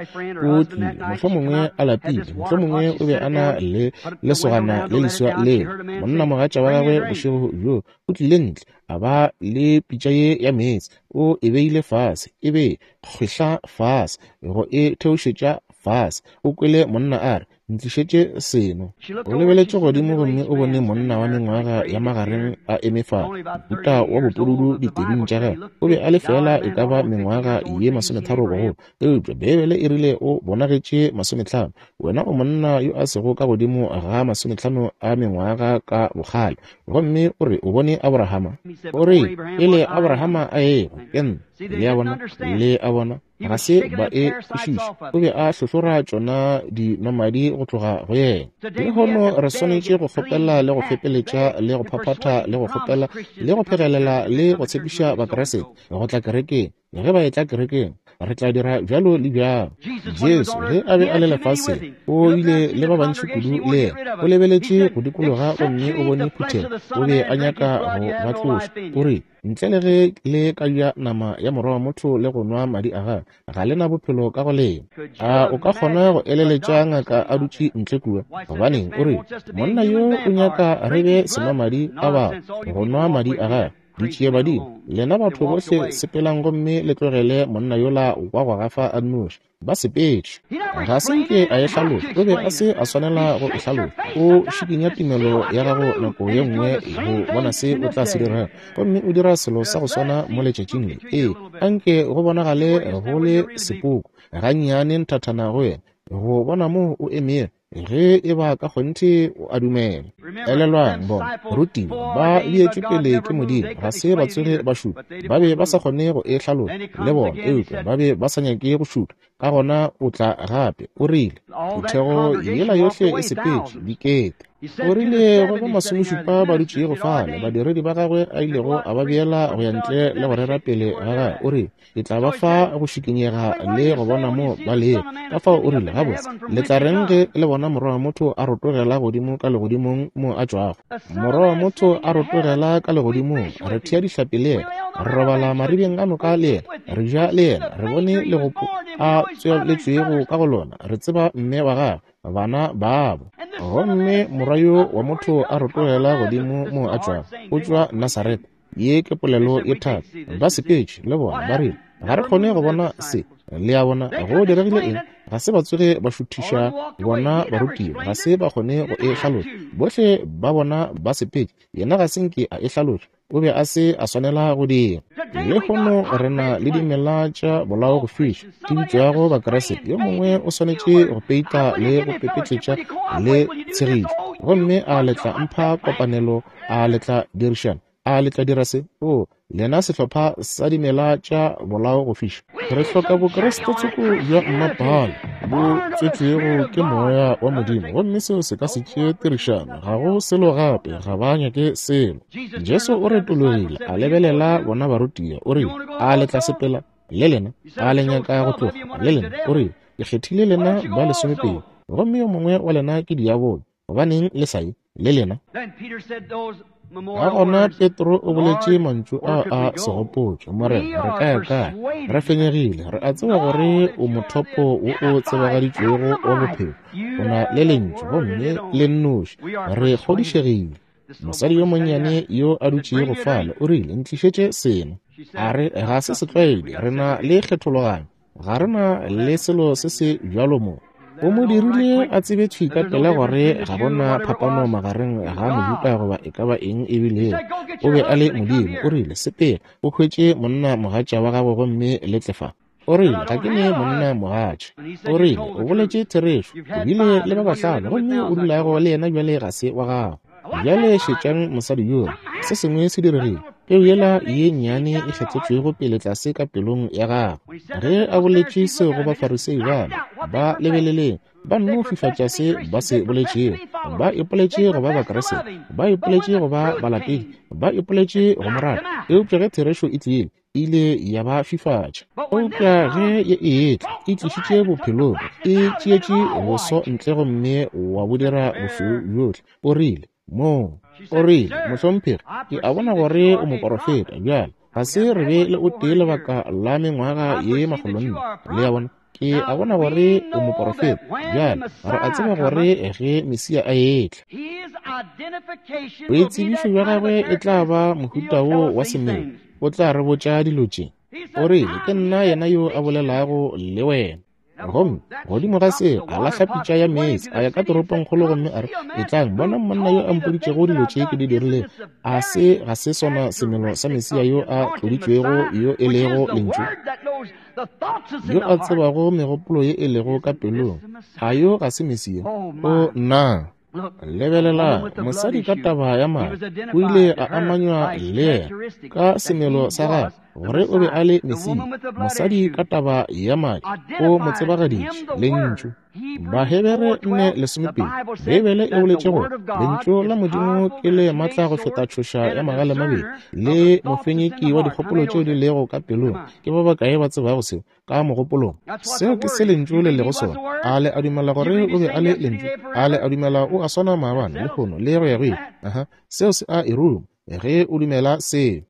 S1: O tlile, mohlomongwe a lapile, mohlomongwe o be a na le lesogana le leswa leo, monnamogatša wa gagwe bošego bjoo, o tlile ntle, a ba le pitša ye ya meetse, o e beile fase, e be kgwehla fase, go e theošetša fase. O kwele monna a re, Ntlišetše seno. O lebeletše godimo gomme o bone monna wa mengwaga ya magareng a eme fa, mohuta wa bopududu ditebing tša gagwe. O be a le feela e ka ba mengwaga ye 30 bogolo, eupša Beibele e rile o bonagetše 50. Wena o monna yo a sego ka godimo ga 50 a mengwaga ka bokgale, gomme o re o bone Aborahama? O re, Pele Aborahama a ehwa, ke nna. Le a bona? Le a bona? Ga se ba e kwešiša. O be a hlohlora tšona dinomadi go tloga go yena. Lehono re swanetše go kgopela le go fepeletša le go phaphatha le go kgopela le go phegelela le go tshepiša Bakriste go tla kerekeng. Ge ba etla kerekeng, re tla dira bjalo le bjalo. Jesu, ge a be a le lefaseng, o ile le ba bantši kudu le yena. O lebeletše go dikologa gomme o bone phuthego. O be a nyaka go ba tloša. O rile, Ntle le ge le ka ja nama ya Morwa wa motho le go nwa madi a gagwe, ga le na bophelo ka go lena. A o ka kgona go eleletša ngaka a dutše ntle kua? Gobaneng, o rile, monna yo o nyaka re be senwamadi a batho, go nwa madi a gagwe. Ditšiebadimo, lena batho bohle sepelang gomme le tlogele monna yola wa go gafa a nnoši. Ba sepetše. Ga se nke a e hlaloša. O be a se a swanela go e hlaloša. O šikinya tumelo ya gago nako ye nngwe go bona se o tla se dirago, gomme o dira selo sa go swana mo letšatšing le. Ee, anke go bonagale go le sepoko gannyane nthathana go wena, go bona moo o emego. Ge e ba ka kgonthe o a dumela. Elelwang, bona rutiwa ba beetšwe pele ke Modimo, ga se ba tsoge ba šutha. Ba be ba sa kgone go e hlaloša le bona, eupša ba be ba sa nyake go šutha. Ka gona o tla gape, o rile, Phuthego yela yohle e sepetše, dikete. O rile go ba masomešupa ba dutšego fale, badiredi ba gagwe a ilego a ba beela go ya ntle le go rera pele ga gagwe, o rile, Ke tla ba fa go šikinyega le go bona mo ba lego. Ka fao o rile, Gabotse, le tla reng ge le bona Morwa wa motho a rotogela godimo ka legodimong mo a tšwago? Morwa wa motho a rotogela ka legodimong, re thea dihlapi le yena, re robala maribeng a noka le yena, re ja le yena, re bone legopo a tsweletšwego ka go lona, re tseba mme wa gagwe, bana babo. Gomme Morwa yo wa motho a rotogela godimo mo a tšwago, o tšwa Nasaretha. Ye ke polelo ye thata. Ba sepetše le bona, ba rile, Ga re kgone go bona se. Le a bona, go diregile eng? Ga se ba tsoge ba šuthiša bona barutiwa, ga se ba kgone go e hlaloša. Bohle ba bona ba sepetše, yena ga se nke a e hlaloša. O be a se a swanela go dira. Lehono re na le dimela tša bolao go fiša, di bitšwago Bakriste. Yo mongwe o swanetše go peita le go pepetletša le tshegišo, gomme a le tla mpha kopanelo, a le tla dirišana, a le tla dira se? O, lena sehlopha sa dimela tša bolao go fiša. Re hloka Bokriste tsoko bja mmapale bo tswetšwego ke Moya wa Modimo, gomme seo se ka se tšee tirišano. Ga go selo gape, ga ba nyake selo. Jesu o retologile, a lebelela bona barutiwa, o rile, A le tla sepela le lena? A le nyaka go tloga le lena? O rile, Ke kgethile lena ba lesomepedi, gomme yo mongwe wa lena ke diabolo. Gobaneng le sa ye le lena? Ka gona Petro o boletše mantšu a a segopotšo, Morena, re ka ya kae? Re fenyegile, re a tseba gore o mothopo wo o tsebagaditšwego wa bophelo. O na le lentšu gomme le nnoši. Re kgodišegile. Mosadi yo monnyane yo a dutšego fale o rile, Ntlišetše seno. A re, Ga se setlwaedi, re na le kgethologanyo. Ga re na le selo se se bjalo mo. O mo dirile a tsebe thwi ka pela gore ga go na phapano magareng ga Mojuda goba e ka ba eng e bilego. O be a le Modimo. O rile, Sepela, o hwetše monna mogatša wa gago gomme le tle fa. O rile, Ga ke ne monna mogatša. O rile, O boletše therešo. O bile le ba bahlano, gomme o dulago le yena bjale ga se wa gago. Bjale šetšang mosadi yola. Se sengwe se diregile. Peu yela ye nnyane e kgethetšwego pele tlase ka pelong ya gagwe. Ge a boletše seo go Bafarisei bale, ba lebeleleng, ba nno fifatša se ba se boletšego. Ba ipoletše go ba Bakriste, ba ipoletše go ba balatedi, ba ipoletše go mo rata. Eupša ge therešo e tlile, e ile ya ba fifatša. Eupša ge ye e etla, e tlišitše bophelong, e tšeetše boso ntle gomme wa bo dira bošweu bjohle. O rile, Moo, o rile, Mohlomphegi, ke a bona gore o moporofeta. Bjale, Ga se re be le o tee lebaka la mengwaga ye 400. Le a bona? Ke a bona gore o moporofeta. Bjale re a tseba gore ge Mesia a etla, boitsebišo bja gagwe e tla ba mohuta wo wa semelo. O tla re botša dilo tše. O rile, Ke nna yena yo a bolelago le wena. Gomme godimo ga seo a lahla pitša ya meetse, a ya ka toropongkgolo gomme a re, Etlang, bonang monna yo a mpoditšego dilo tše ke di dirilego. A se ga se sona semelo sa Mesia yo a tloditšwego, yo e lego Lentšu, yo a tsebago megopolo ye e lego ka pelong? A yo ga se Mesia? O nna! Lebelelang, mosadi ka taba ya madi o ile a amanywa le yena ka semelo sa gagwe gore o be a le Mesia. Mosadi ka taba ya madi o mo tsebagaditše Lentšu. Bahebere 4:12, Beibele e boletše gore Lentšu la Modimo ke le matla go feta tšhoša ya magale mabedi le mofenyeki wa dikgopolo tšeo di lego ka pelong. Ke ba bakae ba tsebago seo? Ka mogopolong, seo ke se Lentšu le lego sona. A le a dumela gore o be a le Lentšu? A le a dumela o a swana maabane, lehono, le go ya go ile? Aha, seo se a e ruma ge o dumela seo.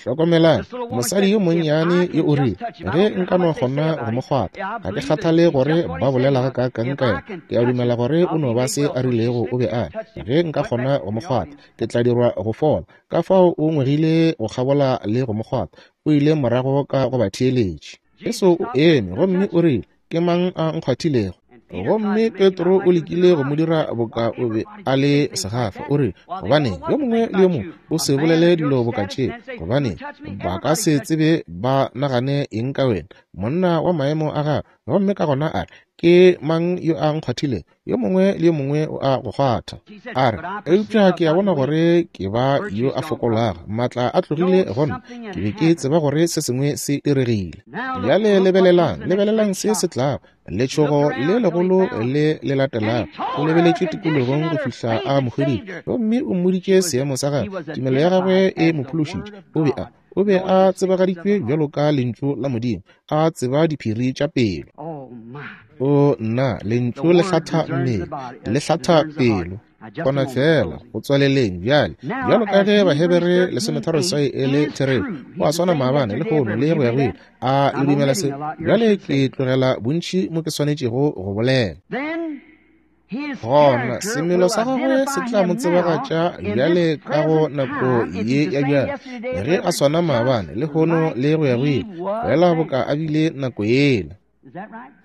S1: Hlokomelang, mosadi yo monnyane yo o rile, Ge nka no kgona go mo kgwatha, ga ke kgathale gore ba bolela gakaakang ka yena, ke a dumela gore o no ba se a rilego o be a le. Ge nka kgona go mo kgwatha, ke tla dirwa go fola. Ka fao o ngwegile go kgabola le go mo kgwatha. O ile morago ka go ba theeletše. Jesu o eme gomme o rile, Ke mang a nkgwathilego? Gomme Petro o lekile go mo dira boka o be a le segafa. O rile, Gobane yo mongwe le yo mongwe o se bolele dilo boka tše, gobane ba ka se tsebe ba nagane eng ka wena, monna wa maemo a gago. Gomme ka gona a re, Ke mang yo a nkgwathilego? Yo mongwe le yo mongwe o a go kgwatha. A re, Eupša ke a bona gore ke ba yo a fokolago. Maatla a tlogile go nna. Ke be ke tseba gore se sengwe se diregile. Bjale lebelelang, lebelelang se se tlago. Letšhogo le legolo le le latelago. O lebeletše tikologong go fihla a mo hweditše, gomme o mmoditše seemo sa gagwe. Tumelo ya gagwe e mo phološitše. O be a, o be a tsebagaditšwe bjalo ka Lentšu la Modimo, a tseba diphiri tša pelo. O nna, Lentšu le hlatha mmele, le hlatha pelo. Gona fela go tswaleleng bjale, bjalo ka ge Bahebere 13 e le therešo, go a swana maabane, lehono, le go ya go ile. A le dumela se? Bjale ke tlogela bontši mo ke swanetšego go bolela. Gona semelo sa gagwe se tla mo tsebagatša bjale ka go nako ye ya bjale, ge a swana maabane, lehono, le go ya go ile, fela boka a bile nako yela.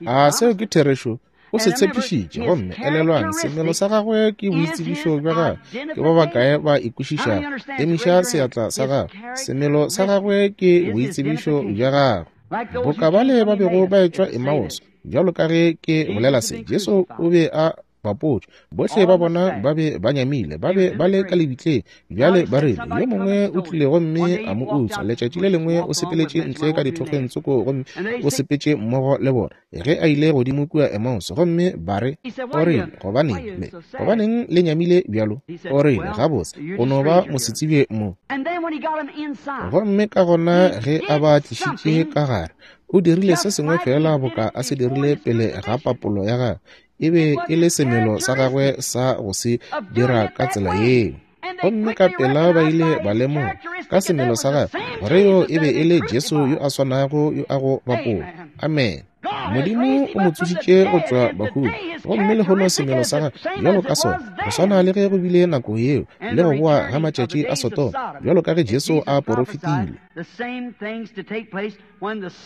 S1: A seo ke therešo? O se tshepišitše. Gomme elelwang, semelo sa gagwe ke boitsebišo bja gagwe. Ke ba bakae ba e kwešišago? Emiša seatla sa gago. Semelo sa gagwe ke boitsebišo bja gagwe. Boka bale ba bego ba etšwa Emmaus, bjalo ka ge ke bolela se, Jesu o be a bapotšwe. Bohle ba bona ba be ba nyamile, ba be ba le ka lebitleng. Bjale ba rile, yo mongwe o tlile gomme a mo utswa. Letšatši le lengwe o sepeletše ntle ka dithokgweng tsoko gomme o sepetše mmogo le bona ge a ile godimo kua Emmaus, gomme ba re, O rile, gobaneng le, gobaneng le nyamile bjalo? O rile, Gabotse, o no ba mosetsebje mo. Gomme ka gona ge a ba tlišitše ka gare, o dirile se sengwe feela boka a se dirile pele ga papolo ya gagwe. E be e le semelo sa gagwe sa go se dira ka tsela yeo. Gomme ka pela ba ile ba lemoga ka semelo sa gagwe gore yo e be e le Jesu yo a swanago yo a go bapola. Amen. Modimo o mo tsošitše go tšwa bahung, gomme lehono semelo sa gagwe bjalo ka sona, go swana le ge go bile nako yeo le go boa ga matšatši a Sodoma, bjalo ka ge Jesu a porofetile.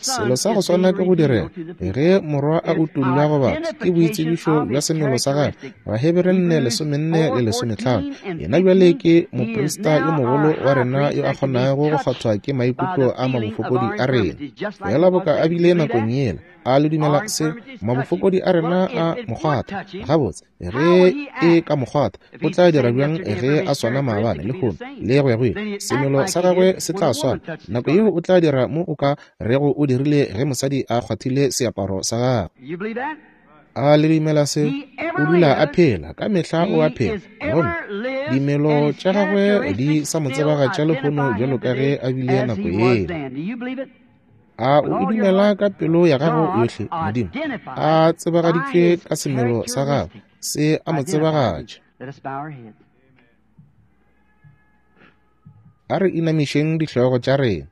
S1: Selo sa go swana ke go direga ge Morwa a utollwa go batho, ke boitsebišo bja semelo sa gagwe. Bahebere 4, 14 le 15. Yena bjale ke moprista yo mogolo wa rena yo a kgonago go kgwathwa ke maikutlo a mabofokodi a rena, feela boka a bile nakong yela. A le dumela se? Mabofokodi a rena a mo kgwatha. Gabotse, ge e ka mo kgwatha, o tla dira bjang ge a swana maabane, lehono, le go ya go ile? Semelo sa gagwe se tla swana. Nako yeo o tla dira mo o ka rego o dirile ge mosadi a kgwathile seaparo sa gagwe. A le dumela se? O dula a phela, ka mehla o a phela. Gomme dimelo tša gagwe di sa mo tsebagatša lehono bjalo ka ge a bile nako yela. A o e dumela ka pelo ya gago yohle? Modimo a tsebagaditšwe ka semelo sa gagwe, se a mo tsebagatša. A re inamišeng dihlogo tša rena.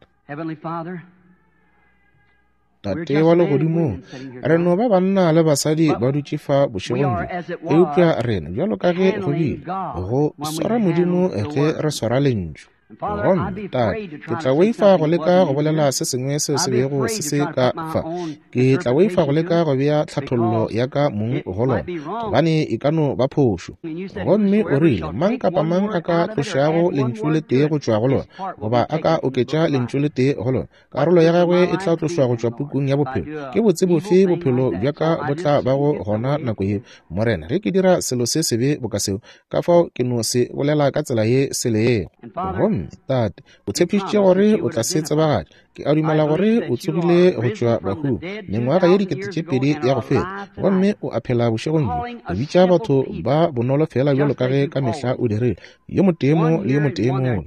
S1: Tate wa legodimong, re no ba banna le basadi ba dutše fa bošegong bjo, eupša rena bjalo ka ge go bile, go swara Modimo ge re swara Lentšu. Gomme, Tate, ke tla boifa go leka go bolela se sengwe seo se bego se se ka fa. Ke tla boifa go leka go bea tlhathollo ya ka mong go lona, gobane e ka no ba phošo. Gomme o rile, mang kapa mang a ka tlošago lentšu le tee go tšwa go lona, goba a ka oketša lentšu le tee go lona, karolo ya gagwe e tla tlošwa go tšwa pukung ya bophelo. Ke botse bofe bophelo bja ka bo tla bago gona nako yeo, Morena, ge ke dira selo se sebe boka seo? Ka fao ke no se bolela ka tsela ye se lego. Gomme, Tate, o tshepišitše gore o tla se tsebagatša. Ke a dumela gore o tsogile go tšwa bahung mengwaga ye 2000 ya go feta, gomme o a phela bošegong bjo, o bitša batho ba bonolo feela bjalo ka ge ka mehla o dirile, yo motee mo le yo motee mola.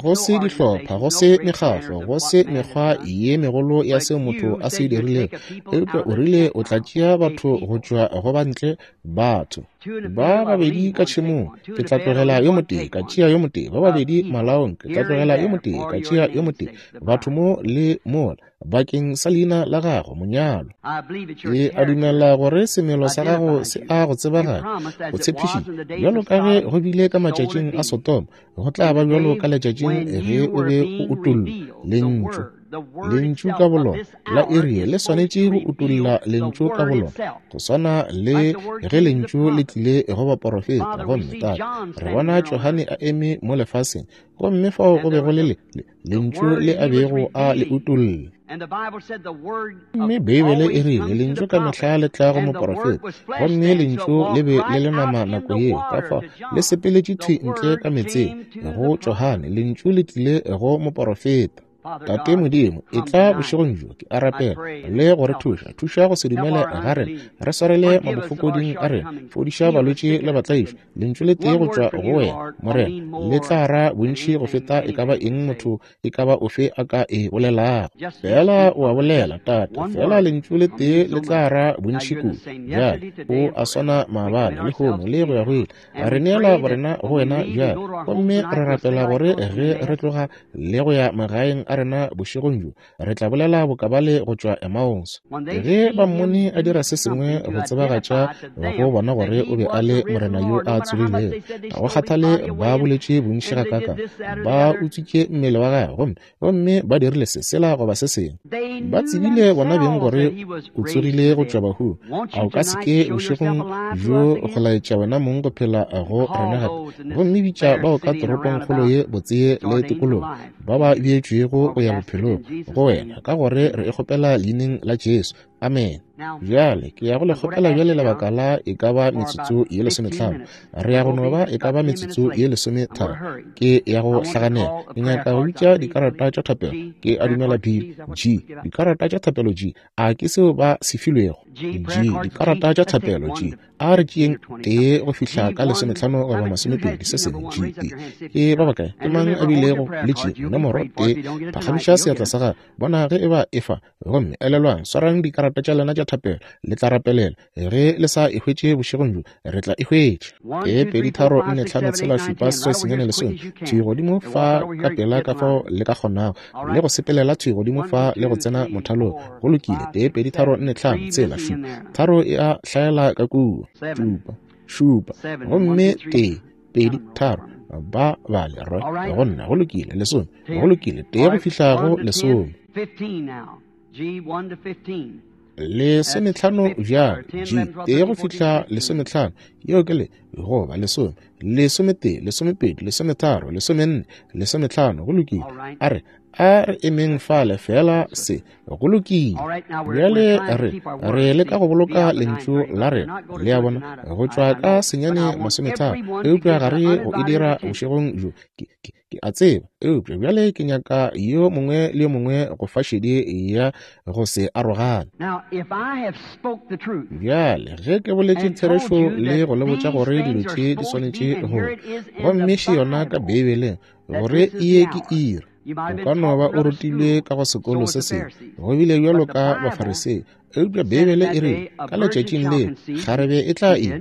S1: Go se dihlopha, go se mekgahlo, go se mekgwa ye megolo ya seo motho a se dirilego, eupša o rile o tla tšea batho go tšwa go bantle, batho ba babedi ka tšhemong, ke tla tlogela yo motee ka tšea yo motee, ba babedi malaong, ke tla tlogela yo motee ka tšea yo motee, batho mo le mola, bakeng sa leina la gago, monyalo. Ke a dumela gore semelo sa gago se a go tsebagatša. O tshepišitše, bjalo ka ge go bile ka matšatšing a Sodoma, go tla ba bjalo ka letšatšing ge o be o utollwa Lentšu. Lentšu ka bolona la iri le swanetše go utolla Lentšu ka bolona, go swana le ge Lentšu le tlile go baporofeta. Gomme Tate, re bona Johane a eme mo lefaseng, gomme fao go be go le Lentšu le a bego a le utolla. Mme Beibele e rile Lentšu ka mehla le tla go moporofeta, gomme Lentšu le be le le nama nako yeo, ka fao le sepeletše thwi ntle ka meetseng go Johane. Lentšu le tlile go moporofeta. Tate Modimo, e tla bošegong bjo, ke a rapela, le go re thuša, thuša go se dumele ga rena, re swarele mabofokoding a rena, fodiša balwetši le batlaišwa. Lentšu le tee go tšwa go wena, Morena, le tla ra bontši go feta e ka ba eng motho e ka ba ofe a ka e bolelago. Fela o a bolela, Tate, fela lentšu le tee le tla ra bontši kudu. Bjale, o a swana maabane, lehono, le go ya go ile. Re neela borena go wena bjale, gomme re rapela gore ge re tloga le go ya magaeng a rena bošegong bjo, re tla bolela bokabale go tšwa Emmaus. Ge ba mmone a dira se sengwe go tsebagatša go bona gore o be a le Morena yo a tsogilego, ga go kgathale ba boletše bontši gakaka, ba utswitše mmele wa gagwe, gomme ba dirile se sela goba se sengwe, ba tsebile bona beng gore o tsogile go tšwa bahung. A o ka se ke bošegong bjo go laetša wena mong go phela go rena gape, gomme bitša bao ka toropongkgolo ye botse le tikologo ba ba beetšwego go ya bophelong go wena, ka gore re e kgopela leineng la Jesu. Amen. Bjale ke ya go le kgopela bjale lebaka la e ka ba metsotso ye 15. Re ya go no ba e ka ba metsotso ye 13. Ke ya go hlaganela. Ke nyaka go bitša dikarata tša thapelo. Ke a dumela B, G, dikarata tša thapelo G. A ke seo ba se filwego? G, dikarata tša thapelo G. A re tšeeng tee go fihla ka 15 goba 20, se sengwe. G, E. Ke ba bakae? Ke mang a bilego le G? Nomoro tee. Phagamiša seatla sa gago. Bona ge e ba e fa. Gomme elelwang, swarang dikarata tša lena tša thapelo, le tla rapelela. Ge le sa e hwetše bošegong bjo, re tla e hwetša. 1, 2, 3, 4, 5, 6, 7, 8, 9, 10. Thwi godimo fa ka pela ka fao le ka kgonago, le go sepelela thwi godimo fa le go tsena mothalong. Go lokile. 1, 2, 3, 4, 5, 6, 7. Tharo e a hlaela ka kua. 7, 7, gomme 1, 2, 3. Ba bale re go nna. Go lokile. 10. Go lokile. 1 go fihla go 10. 15 bjale, G, 1 go fihla 15, yeo ke le, goba 10, 11, 12, 13, 14, 15. Go lokile. A re, a re emeng fale fela se. Go lokile. Bjale re leka go boloka lentšu la rena, le a bona, go tšwa ka 8:30, eupša ga re go e dira bošegong bjo. Ke a tseba, eupša bjale ke nyaka yo mongwe le yo mongwe go fa šedi ya go se arogane. Bjale ge ke boletše therešo le go le botša gore dilo tše di swanetše go, gomme še yona ka Beibeleng, gore e ye ke iri. O ka no ba o rutilwe ka go sekolo se sengwe, go bile bjalo ka Bafarisei. Eupša Beibele e rile, ka letšatšing leo, kgarebe e tla ima.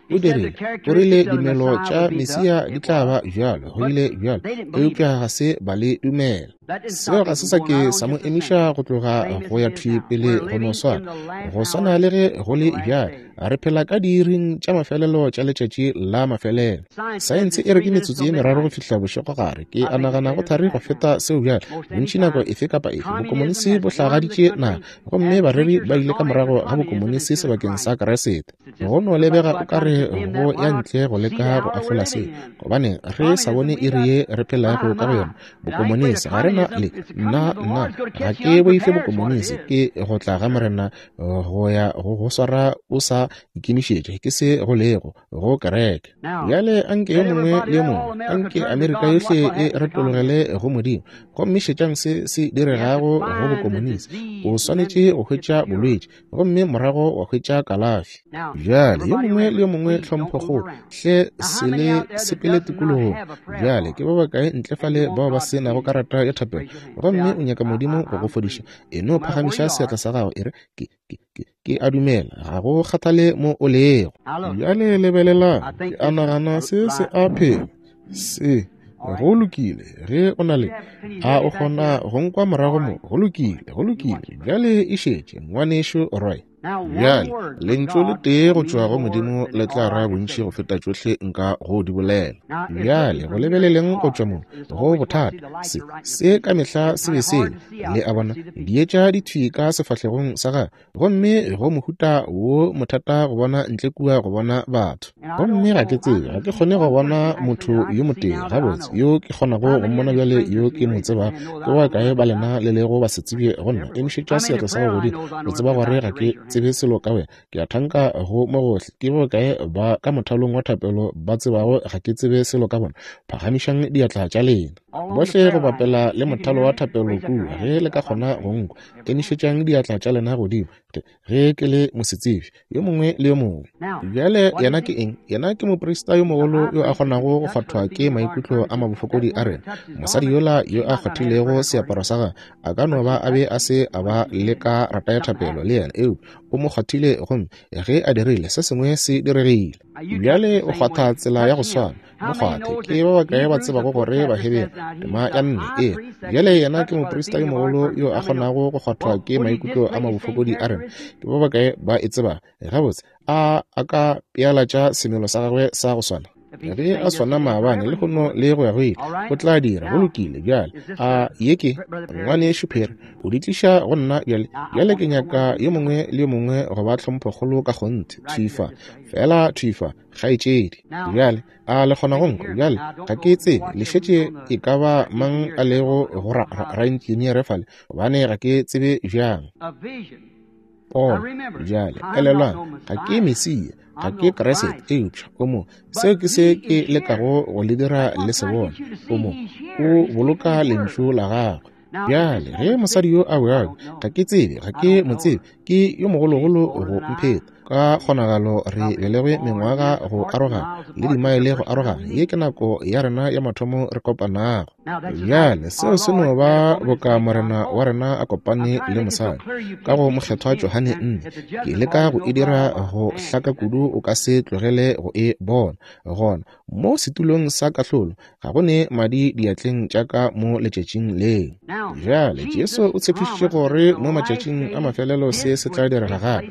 S1: O dirile, o rile dimelo tša Mesia di tla ba bjalo, go bile bjalo, eupša ga se ba le dumela. Seo ga se sa ke sa mo emiša go tloga go ya thwi pele go no swana, go swana le ge go le bjalo. Re phela ka diiring tša mafelelo tša letšatši la mafelelo. Saense e re ke metsotso ye meraro go fihla bošegogare. Ke a nagana go thari go feta seo bjale. Bontši nako efe kapa efe, bokomonisi bo hlagaditše naga, gomme bareri ba ile ka morago ga bokomonisi sebakeng sa Keresete. Go no lebega o ka re go ya ntle go leka go ahlola se, gobane re sa bone iri ye re phelago ka go yona. Bokomonisi ga re na le nna, nna ga ke boife bokomonisi, ke go tla ga Morena go ya go go swara o sa ikemišetša, ke se go lego go kereke. Bjale anke yo mongwe le yo mongwe, anke Amerika yohle e retologele go Modimo, gomme šetšang se se diregago go bokomonisi. O swanetše go hwetša bolwetši gomme morago wa hwetša kalafi. Bjale yo mongwe le yo mongwe tlhomphokgolo, hle se le sepele tikologong. Bjale ke ba bakae ntle fale bao ba se nago karata ya thapelo gomme o nyaka Modimo go go fodiša? E no phagamiša seatla sa gago, e re, ke, ke, ke, ke a dumela, ga go kgathale mo o lego. Bjale lebelelang, ke a nagana se se a phela. Se go lokile ge o na le a o kgona go nkwa morago mo. Go lokile, go lokile. Bjale e šetše, ngwanešu Roy. Bjale lentšu le tee go tšwa go Modimo le tla ra bontši go feta tšohle nka go di bolela. Bjale go lebeleleng go tšwa mo go bothata, se se ka mehla se be se le a bona dietša di thwi ka sefahlegong sa gagwe, gomme go mohuta wo mothata go bona ntle kua go bona batho. Gomme ga ke tsebe, ga ke kgone go bona motho yo motee gabotse yo ke kgonago go mmona bjale yo ke mo tsebago. Ke ba kae ba lena le lego ba se tsebje go nna? Emišetša seatla sa gago godimo o tseba gore ga ke tsebe selo ka wena. Ke a thanka go mo gohle. Ke ba kae ba ka mothalong wa thapelo ba tsebago ga ke tsebe selo ka bona? Phagamišang diatla tša lena bohle go bapela le mothalo wa thapelo kua, ge le ka kgona go nkwa. Emišetšang diatla tša lena godimo ge ke le mosetsebje yo mongwe le yo mongwe. Bjale yena ke eng? Yena ke moprista yo mogolo yo a kgonago go kgwathwa ke maikutlo a mabofokodi a rena. Mosadi yola yo a kgwathilego seaparo sa gagwe a ka no ba a be a se a ba le ka rata ya thapelo le yena, eupša o mo kgwathile, gomme ge a dirile, se sengwe se diregile. Bjale o kgwatha tsela ya go swana. Mo kgwathe. Ke ba bakae ba tsebago gore Baheberu tema ya 4 e bjale yena ke moprista yo mogolo yo a kgonago go kgwathwa ke maikutlo a mabofokodi a rena? Ke ba bakae ba e tseba gabotse? A a ka pealatša semelo sa gagwe sa go swana ge a swana maabane le gono le go ya go ile, o tla dira. Go lokile. Bjale a ye ke ngwanešu Perry o di tliša go nna bjale. Bjale ke nyaka yo mongwe le yo mongwe go ba tlhomphokgolo ka kgonthe, thwi fa, fela thwi fa, kgaetšedi. Bjale a le kgona go nkwa? Bjale ga ke tsebe le šetše e ka ba mang a lego go raengineere fale, gobane ga ke tsebe bjang. Pono. Bjale elelwang, ga ke Mesia, ga ke Kriste, eupša o mo. Seo ke se ke lekago go le dira le se bone. O mo, o boloka lentšu la gagwe. Bjale ge mosadi yo a bjalo, ga ke tsebe, ga ke mo tsebe, ke yo mogologolo go mpheta. Ka kgonagalo re belegwe mengwaga go arogana le dimaele go arogana. Ye ke nako ya rena ya mathomo re kopanago. Bjale seo se no ba boka Morena wa rena a kopane le mosadi ka go Mokgethwa Johane 4. Ke leka go e dira go hlaka kudu o ka se tlogele go e bona. Gona mo setulong sa kahlolo ga go ne madi diatleng tša ka mo letšatšing leo. Bjale Jesu o tshepišitše gore mo matšatšing a mafelelo se se tla direga gape.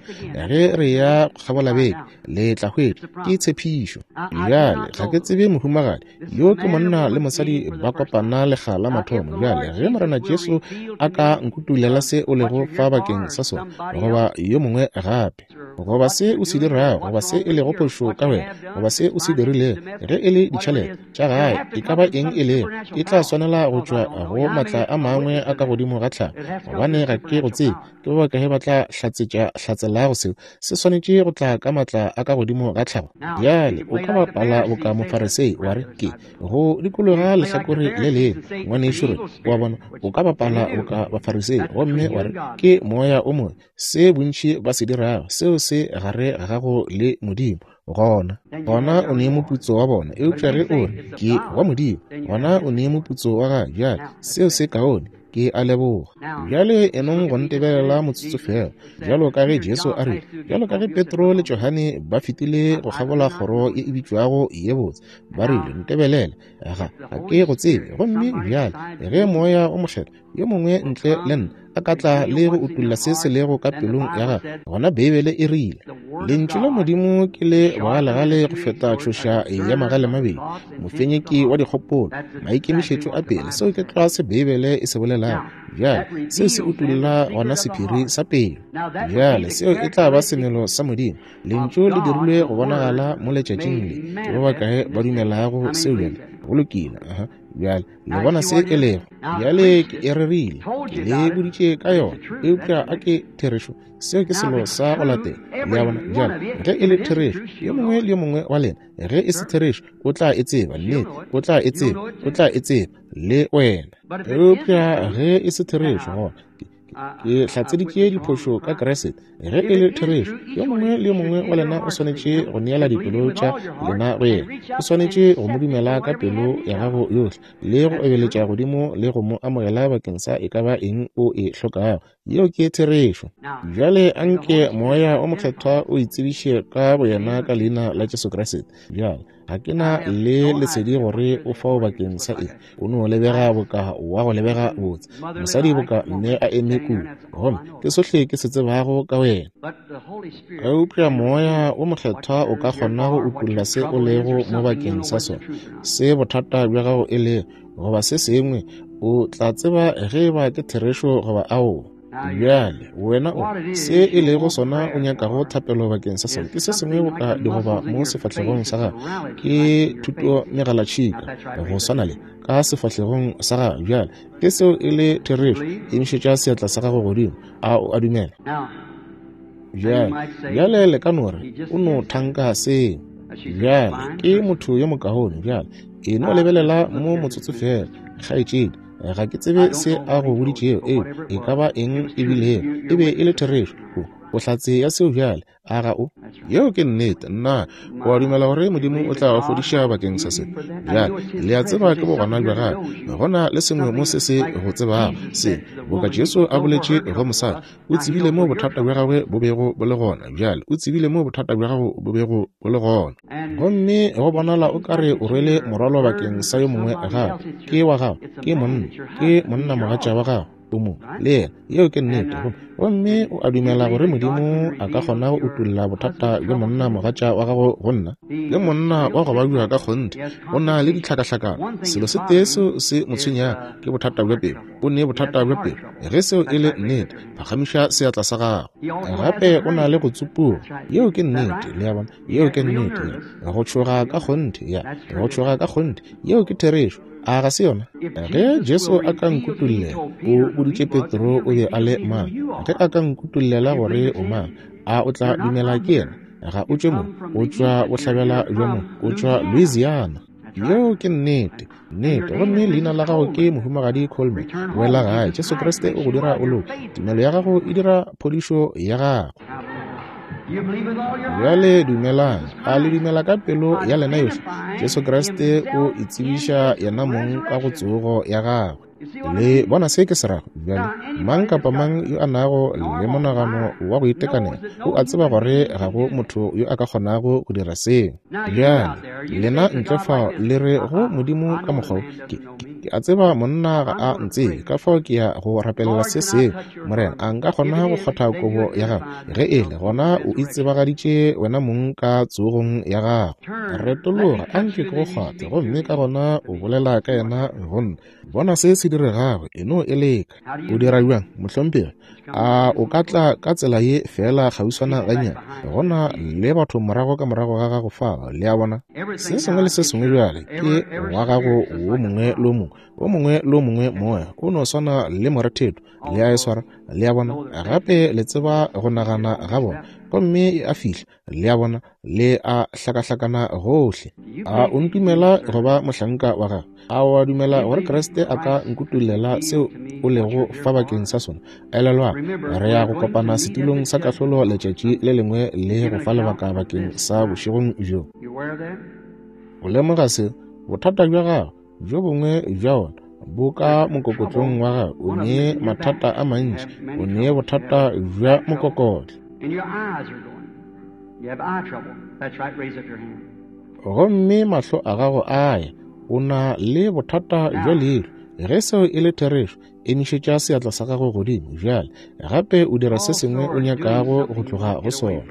S1: Ge re ya kgabola beke le tla hwetša, ke tshepišo. Bjale ga ke tsebe mohumagadi yo, ke monna le mosadi ba kopana lekga la mathomo. Bjale ge Morena Jesu a ka nkutulela se o lego fa bakeng sa sona, goba yo mongwe gape, goba se o se dirago, goba se e lego phošo ka wena, goba se o se dirilego, ge e le ditšhelete tša gae, e ka ba eng e lego, e tla swanela go tšwa go matla a mangwe a ka godimo ga tlhago, gobane ga ke go tsebe. Ke ba bakae ba tla hlatselago seo? Se swanetše go tla ka matla a ka godimo ga tlhago. Bjale o ka bapala boka Mofarisei wa re, ke go dikologa lehlakore le lengwe, ngwanešu re, wa bona, o ka bapala boka Bafarisei gomme wa re ke moya o mobe. Se bontši ba se dirago, seo se gare ga gago le Modimo. Gona, gona o nee moputso wa bona. Eupša ge o re ke wa Modimo, gona o nee moputso wa gagwe. Bjale seo se kaone. Ke a leboga. Bjale enong go ntebelela motsotso feela, bjalo ka ge Jesu a rile, bjalo ka ge Petro le Johane ba fetile go kgabola kgoro ye e bitšwago ye botse, ba rile, Ntebelele, ga ke go tsebe. Gomme bjale ge Moya o Mokgethwa yo mongwe ntle le nna a ka tla le go utolla se se lego ka pelong ya gagwe, gona Beibele e rile, Lentšu la Modimo ke le bogalegale go feta tšhoša ya magalemabedi, mofenyeki wa dikgopolo, maikemišetšo a pele. Seo ke tlwa se Beibele e se bolelago. Bjale seo se utolla gona sephiri sa pelo. Bjale seo e tla ba semelo sa Modimo. Lentšu le dirilwe go bonagala mo letšatšing le. Ke ba bakae ba dumelago seo bjale? Go lokile. Aha. Bjale le bona se e lego. Bjale ke e rerile, ke le boditše ka yona, eupša a ke therešo? Seo ke selo sa go latela. Le a bona? Bjale ge e le therešo, yo mongwe le yo mongwe wa lena, ge e se therešo, o tla e tseba. Nnete, o tla e tseba, o tla e tseba le wena. Eupša ge e se therešo, gona ke hlatseditše diphošo ka Kriste. Ge e le therešo, yo mongwe le yo mongwe wa lena o swanetše go neela dipelo tša lena go yena. O swanetše go mo dumela ka pelo ya gago yohle le go ebeletša godimo le go mo amogela bakeng sa e ka ba eng o e hlokago. Yeo ke therešo. Bjale anke Moya o Mokgethwa o itsebiše ka boyena ka leina la Jesu Kriste. Bjale ga ke na le lesedi gore o fao bakeng sa eng. O no lebega boka wa go lebega botse, mosadi boka mme a eme kua, gomme ke sohle ke se tsebago ka wena. Eupša Moya wo Mokgethwa o ka kgona go utolla se o lego mo bakeng sa sona, se bothata bja gago e lego, goba se sengwe, o tla tseba ge eba ke therešo goba aowa. Bjale wena o se e lego sona o nyakago thapelo bakeng sa sona ke se sengwe boka digoba mo sefahlegong sa gago, ke thuto megalatšhika go swana le ka sefahlegong sa gago. Bjale ke seo e le therešo, emišetša seatla sa gago godimo. A o a dumela? Bjale, bjale le ka no re o no thanka seo. Bjale ke motho yo mokaone. Bjale e no lebelela mo motsotso feela, kgaetšedi. Ga ke tsebe se a go boditšego, eo e ka ba eng e bilego, e be e le therešo. O hlatse ya seo bjale, a ga o? Yeo ke nnete. Nna, o a dumela gore Modimo o tla go fodiša bakeng sa se? Bjale, le a tseba ke bogona bja gagwe. Go na le sengwe mo se se go tsebago, se boka Jesu a boletše go mosadi, o tsebile mo bothata bja gagwe bo bego bo le gona. Bjale o tsebile mo bothata bja gago bo bego bo le gona. Gomme go bonala o ka re o rwele morwalo bakeng sa yo mongwe gape. Ke wa gago, ke monna, ke monna mogatša wa gago, o mo le yena. Yeo ke nnete. Gomme o a dumela gore Modimo a ka kgona go utolla bothata bja monna mogatša wa gago go nna? Ke monna wa go babja ka kgonthe, o na le ditlhakahlakano. Selo se tee seo se mo tshwenyago ke bothata bja pelo. O ne bothata bja pelo. Ge seo e le nnete, phagamiša seatla sa gago. Gape o na le go tsupuga. Yeo ke nnete, le a bona. Yeo ke nnete. Go tšhoga ka kgonthe, ya. Go tšhoga ka kgonthe. Yeo ke therešo. A ga se yona? Ge Jesu a ka nkutollela, o boditše Petro o be a le mang. Ge a ka nkutollela gore o mang, a o tla dumela ke yena? Ga o tšwe mo, o tšwa bohlabela bja mo, o tšwa Louisiana. Yeo ke nnete, nnete. Gomme leina la gago ke Mohumagadi Coleman. Boela gae, Jesu Kriste o go dira o loke. Tumelo ya gago e dira phodišo ya gago. Bjale dumelang. A le dumela ka pelo ya lena yohle? Jesu Kriste o itsebiša yena mong ka go tsogo ya gagwe. Le bona se ke se rago? Bjale, mang kapa mang yo a nago le monagano wa go itekanela o a tseba gore ga go motho yo a ka kgonago go dira seo. Bjale, lena ntle fao le re go Modimo ka mokgwa wo, ke, ke a tseba monna ga a ntsebe, ka fao ke ya go rapelela se sengwe. Morena, a nka kgona go kgotha kobo ya gago? Ge e le gona, o itsebagaditše wena mong ka tsogong ya gago. Retologa, a nke ke go kgwathe, gomme ka gona o bolela ka yena go nna. Bona se se diregago, e no e leka. O dira bjang, mohlomphegi? A o ka tla ka tsela ye feela kgauswana gannyane? Go na le batho morago ka morago ga gago fao, le a bona. Se sengwe le se sengwe bjale ke wa gago wo mongwe le wo mongwe, wo mongwe le wo mongwe moya o no swana le moretheto, le a e swara, le a bona. Gape le tseba go nagana ga bona, gomme e a fihla, le a bona, le a hlakahlakana gohle. A o ntumela go ba mohlanka wa gagwe? A o a dumela gore Kriste a ka nkutollela seo o lego fa bakeng sa sona? Elelwang, re ya go kopana setulong sa kahlolo letšatši le lengwe le go fa lebaka bakeng sa bošegong bjo. O lemoga seo? Bothata bja gago, bjo bongwe bja ona. Bo ka mokokotlong wa gago. O ne mathata a mantši. O ne bothata bja mokokotlo. Gomme mahlo a gago a ya. O na le bothata bja leihlo. Ge seo e le therešo, emišetša seatla sa gago godimo bjale. Gape o dira se sengwe o nyakago go tloga go sona.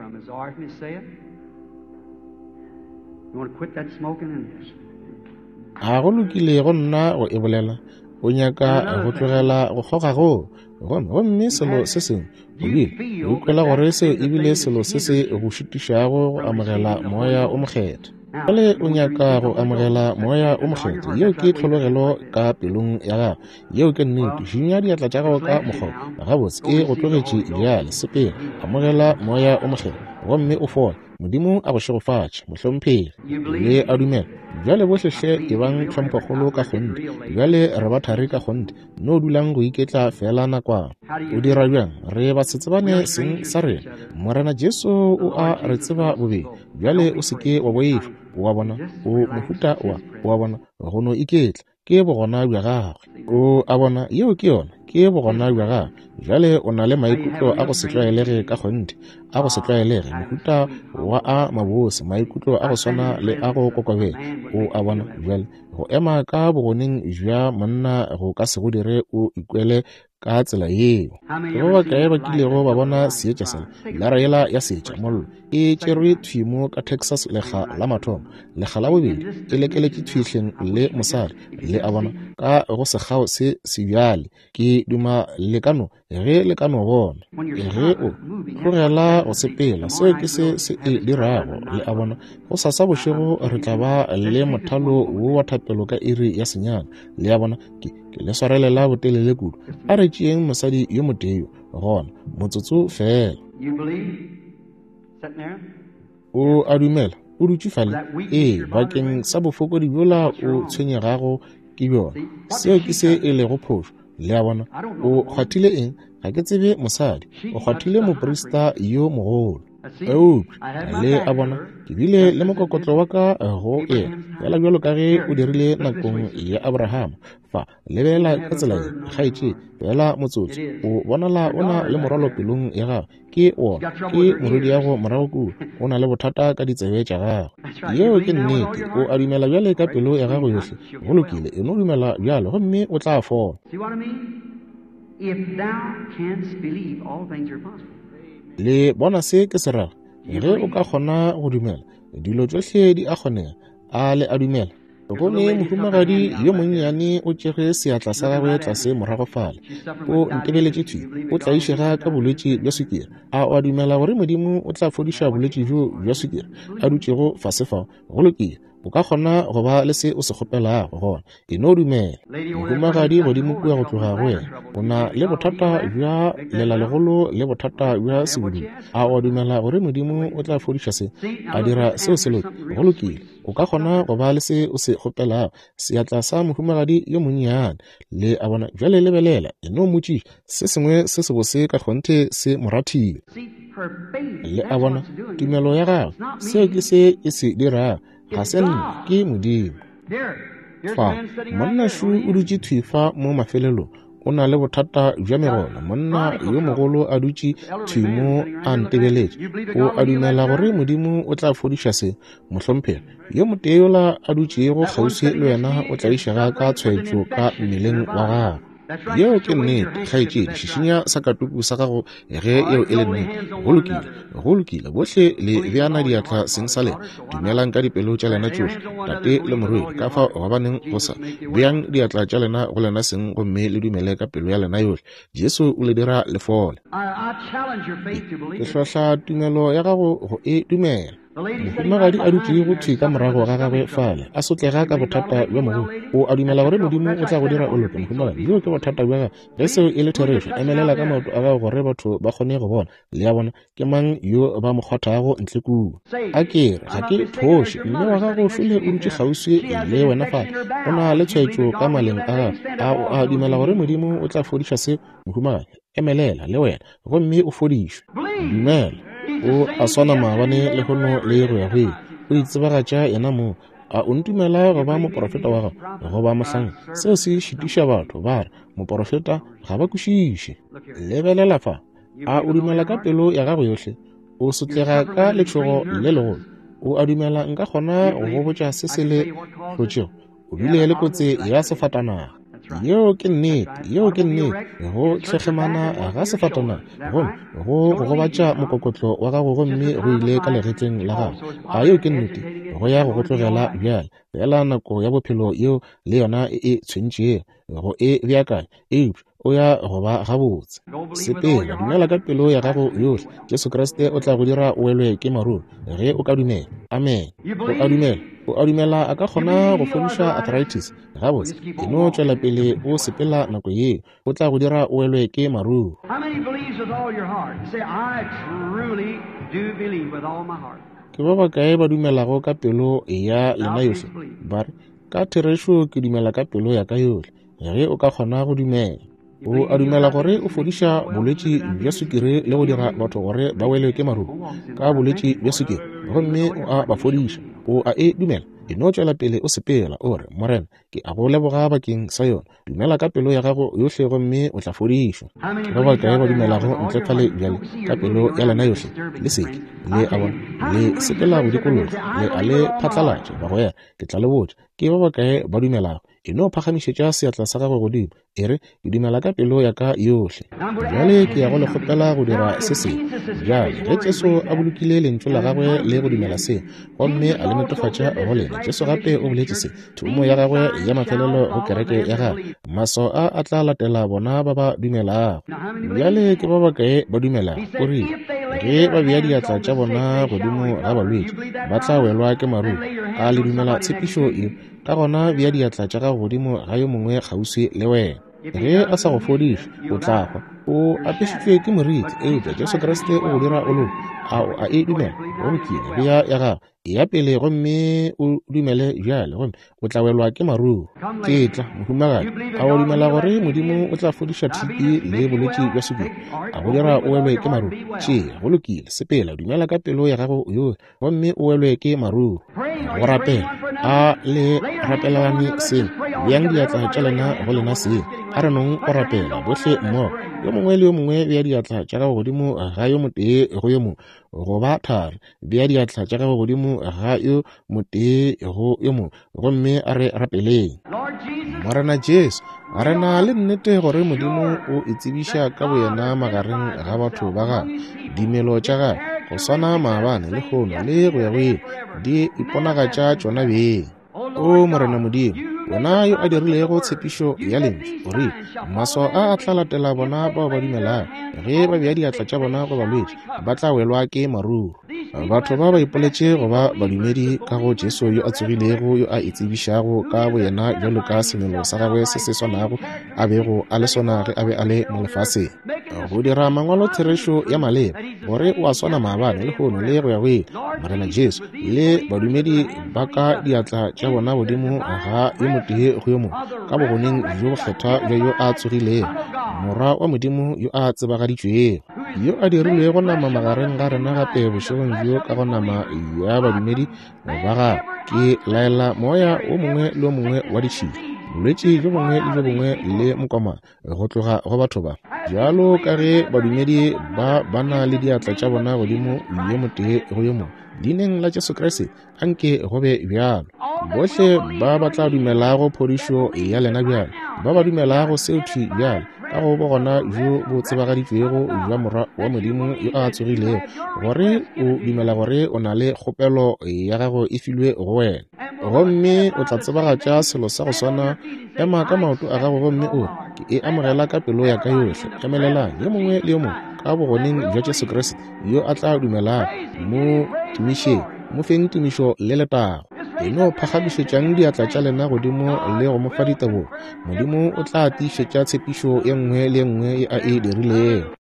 S1: A go lokile go nna go e bolela? O nyaka go tlogela go kgoga goo. Gomme, gomme selo se sengwe, o bile o ikwela gore seo e bile selo se se go šitišago go amogela Moya o Mokgethwa. Bjale o nyaka go amogela Moya o Mokgethwa. Yeo ke tlhologelo ka pelong ya gago. Yeo ke nnete. Šinya diatla tša gago ka mokgwa. Gabotse, e go tlogetše bjale. Sepela, amogela Moya o Mokgethwa, gomme o fole. Modimo a go šegofatše, mohlomphegi. Le a dumela? Bjale bohle hle ebang tlhomphokgolo ka kgonthe. Bjale re ba thari ka kgonthe. No dulang go iketla feela nakwana. O dira bjang? Re ba se tsebane seng sa rena. Morena Jesu o a re tseba bobedi. Bjale o se ke wa boifa. O a bona? O mohuta wa, o a bona, go no iketla. Ke bogona bja gagwe. O a bona, yeo ke yona, ke bogona bja gagwe. Bjale o na le maikutlo a go se tlwaelege ka kgonthe, a go se tlwaelege, mohuta wa a mabose, maikutlo a go swana le a go kokobela. O a bona, bjale go ema ka bogoneng bja monna go ka se go dire o ikwele ka tsela yeo. Ke ba bakae ba kilego ba bona seetša sela, lara yela ya seetša, mollo, e tšerwe thwi mo ka Texas lekga la mathomo, lekga la bobedi e lekeletše thwi hleng le mosadi, le a bona, ka go sekgao se sebjale. Ke duma le ka no, ge le ka no bona, ge o tlogela go sepela, seo ke se se e dirago, le a bona. Go sasa bošego re tla ba le mothalo wo wa thapelo ka iri ya 9, le a bona. Ke le swarelela botelele kudu. A re tšeeng mosadi yo motee yo gona, motsotso feela. O a dumela? O dutše fale? Ee, bakeng sa bofokodi bjola o tshwenyegago ke bjona. Seo ke se e lego phošo. Le a bona? O kgwathile eng? Ga ke tsebe mosadi. O kgwathile moprista yo mogolo. Eupša, le a bona, ke bile le mokokotlo wa ka go yena, fela bjalo ka ge o dirile nakong ya Abrahama. Fa, lebelela ka tsela ye, kgaetšedi, fela motsotso. O bonala o na le morwalo pelong ya gago. Ke wona, ke morwediago morago kua. O na le bothata ka ditsebe tša gago. Yeo ke nnete. O a dumela bjale ka pelo ya gago yohle? Go lokile, e no dumela bjalo gomme o tla fola. Le bona se ke se rago? Ge o ka kgona go dumela, dilo tšohle di a kgonega. A le a dumela? Gomme mohumagadi yo monnyane o tšere seatla sa gagwe tlase morago fale, o ntebeletše thwi, o tlaišega ka bolwetši bja swikiri. A o a dumela gore Modimo o tla fodiša bolwetši bjo bja swikiri a dutšego fase fao? Go lokile, o ka kgona go ba le se o se kgopelago gona. E no dumela. Mohumagadi godimo kua go tloga go wena, o na le bothata bja lelalegolo le bothata bja sebudulo. A o a dumela gore Modimo o tla fodiša se, a dira seo se loke? Go lokile, o ka kgona go ba le se o se kgopelago. Seatla sa mohumagadi yo monnyane, le a bona. Bjale lebelela, e no mmotšiša se sengwe se sebose ka kgonthe se mo rathile. Le a bona, tumelo ya gagwe, seo ke se e se dirago. Ga se nna, ke Modimo. Fa, monna šo o dutše thwi fa mo mafelelong, o na le bothata bja megolo. Monna yo mogolo a dutše thwi mo a ntebeletše. O a dumela gore Modimo o tla fodiša se, mohlomphegi? Yo motee yola a dutšego kgauswi le wena o tlaišega ka tshwaetšo ka mmeleng wa gagwe. Yeo ke nnete, kgaetšedi. Šišinya sakatuku sa gago ge yeo e le nnete. Go lokile, go lokile. Bohle le beana diatla seng sa lena. Dumelang ka dipelo tša lena tšohle, tate le morwedi. Ka fao gobaneng go sa beang diatla tša lena go lena seng gomme le dumele ka pelo ya lena yohle. Jesu o le dira le fole. Ke hlohla tumelo ya gago go e dumela. Mohumagadi a dutšego thwi ka morago ga gagwe fale, a sotlega ka bothata bja mogodu. O a dumela gore Modimo o tla go dira o loke, mohumagadi? Bjoo ke bothata bja gago. Ge seo e le therešo, emelela ka maoto a gago gore batho ba kgone go bona. Le a bona? Ke mang yo ba mo kgwathago ntle kua? A ke re, ga ke phoše. Mme wa gago šole o dutše kgauswi le wena fale. O na le tshwaetšo ka maleng a gagwe. A o a dumela gore Modimo o tla fodiša seo, mohumagadi? Emelela le wena gomme o fodišwe. Dumela. O a swana maabane, lehono le go ya go ile. O itsebagatša yena mong. A o ntumela go ba moporofeta wa gago goba mohlanka? Seo se šitiša batho, ba re, Moporofeta, ga ba kwešiše. Lebelela fa. A o dumela ka pelo ya gago yohle? O sotlega ka letšhogo le legolo. O a dumela nka kgona go go botša se se le hlotšego? O bile le kotsi ya sefatanaga. Yeo ke nnete, yeo ke nnete. Go hlehlemana ga sefatanaga, gomme go go gobatša mokokotlo wa gago gomme go ile ka legetleng la gago. A yeo ke nnete? Go ya go go tlogela bjale, feela nako ya bophelo yeo le yona e e tshwentšego go e beakanya, eupša o ya go ba gabotse. Sepela, dumela ka pelo ya gago yohle. Jesu Kriste o tla go dira o welwe ke maruru ge o ka dumela. Amen. O a dumela? O a dumela a ka kgona go fodiša arthritis? Gabotse, e no tšwela pele o sepela nako yeo, o tla go dira o welwe ke maruru. Ke ba bakae ba dumelago ka pelo ya lena yohle? Ba re, Ka therešo ke dumela ka pelo ya ka yohle. Ge o ka kgona go dumela. O a dumela gore o fodiša bolwetši bja sukiri le go dira batho gore ba welwe ke maruru ka bolwetši bja sukiri, gomme o a ba fodiša. O a e dumela? E no tšwela pele o sepela, o re, Morena, ke a go leboga bakeng sa yona. Dumela ka pelo ya gago yohle gomme o tla fodišwa. Ke ba bakae ba dumelago ntle fale bjale ka pelo ya lena yohle? Le seke, le a bona, le sepela go dikologa, le a le phatlalatša, bagwera. Ke tla le botša, ke ba bakae ba dumelago? E no phagamišetša seatla sa gago godimo, e re, Ke dumela ka pelo ya ka yohle. Bjale ke ya go le kgopela go dira se sengwe. Bjale, ge Jesu a bolokile Lentšu la Gagwe le go dumela se, gomme a le netefatša go lena, Jesu gape o boletše se, thomo ya Gagwe ya mafelelo go Kereke ya Gagwe, Maswao a a tla latela bona ba ba dumelago. Bjale ke ba bakae ba dumelago? O rile, Ge ba bea diatla tša bona godimo ga balwetši, ba tla welwa ke maruru. A le dumela tshepišo ye? Ka gona bea diatla tša gago godimo ga yo mongwe kgauswi le wena. Ge a sa go fodiše, o tla hwa. O apešitšwe ke moriti, eupša Jesu Kriste o go dira o loke. A o a e dumela? Go lokile, bea ya gago. Eya pele gomme o dumele bjale, gomme o tla welwa ke maruru. Ke tla, mohumagadi. A o dumela gore Modimo o tla fodiša TB le bolwetši bja sukiri, a go dira o welwe ke maruru? Tšea, go lokile, sepela, dumela ka pelo ya gago yohle. gomme o welwe ke maruru. Go rapela, a le rapelane seng, beang diatla tša lena go lena seng. A re nong go rapela bohle mmogo. Yo mongwe le yo mongwe bea diatla tša gago godimo ga yo motee go yo mongwe, goba thari, bea diatla tša gago godimo ga yo motee go yo mongwe, gomme a re rapeleng. Morena Jesu, re na le nnete gore Modimo o itsebiša ka boyena magareng ga batho ba gagwe. Dimelo tša gagwe, go swana maabane, lehono, le go ya go ile, di iponagatša tšona beng. O Morena Modimo, wena yo a dirilego tshepišo ya Lentšu, o rile, Maswao a a tla latela bona bao ba dumelago. Ge ba bea diatla tša bona go balwetši, ba tla welwa ke maruru. Batho ba ba ipoletše go ba badumedi ka go Jesu yo a tsogilego, yo a itsebišago ka boyena bjalo ka semelo sa gagwe se se swanago a bego a le sona ge a be a le mo lefaseng. Go dira mangwalo therešo ya maleba, gore o a swana maabane, lehono, le go ya go ile, Morena Jesu, le badumedi ba ka diatla tša bona godimo ga yo motee go yo mongwe, ka bogoneng bjo bokgethwa bja yo a tsogilego, Morwa wa Modimo yo a tsebagaditšwego. Yo a dirilwego nama magareng ga rena gape bošegong bjo ka go nama ya badumedi ba gagwe. Ke laela moya wo mongwe le wo mongwe wa ditšhila, bolwetši bjo bongwe le bjo bongwe le mokoma go tloga go batho ba. Bjalo ka ge badumedi ba ba na le diatla tša bona godimo yo motee go yo mongwe, leineng la Jesu Kriste, anke go be bjalo. Bohle ba ba tla dumelago phodišo ya lena bjale, ba ba dumelago seo thwi bjale, ka go bogona bjo bo tsebagaditšwego bja Morwa wa Modimo yo a tsogilego, gore o dumela gore o na le kgopelo ya gago e filwe go wena, gomme o tla tsebagatša selo sa go swana, ema ka maoto a gago gomme o re, Ke e amogela ka pelo ya ka yohle. Emelelang, yo mongwe le yo mongwe, ka bogoneng bja Jesu Kriste, yo a tla dumelago, mo tumišeng, mo feng tumišo le letago. E no phagamišetšang diatla tša lena godimo le go mo fa ditebogo. Modimo o tla tiišetša tshepišo ye nngwe le ye nngwe ye a e dirilego.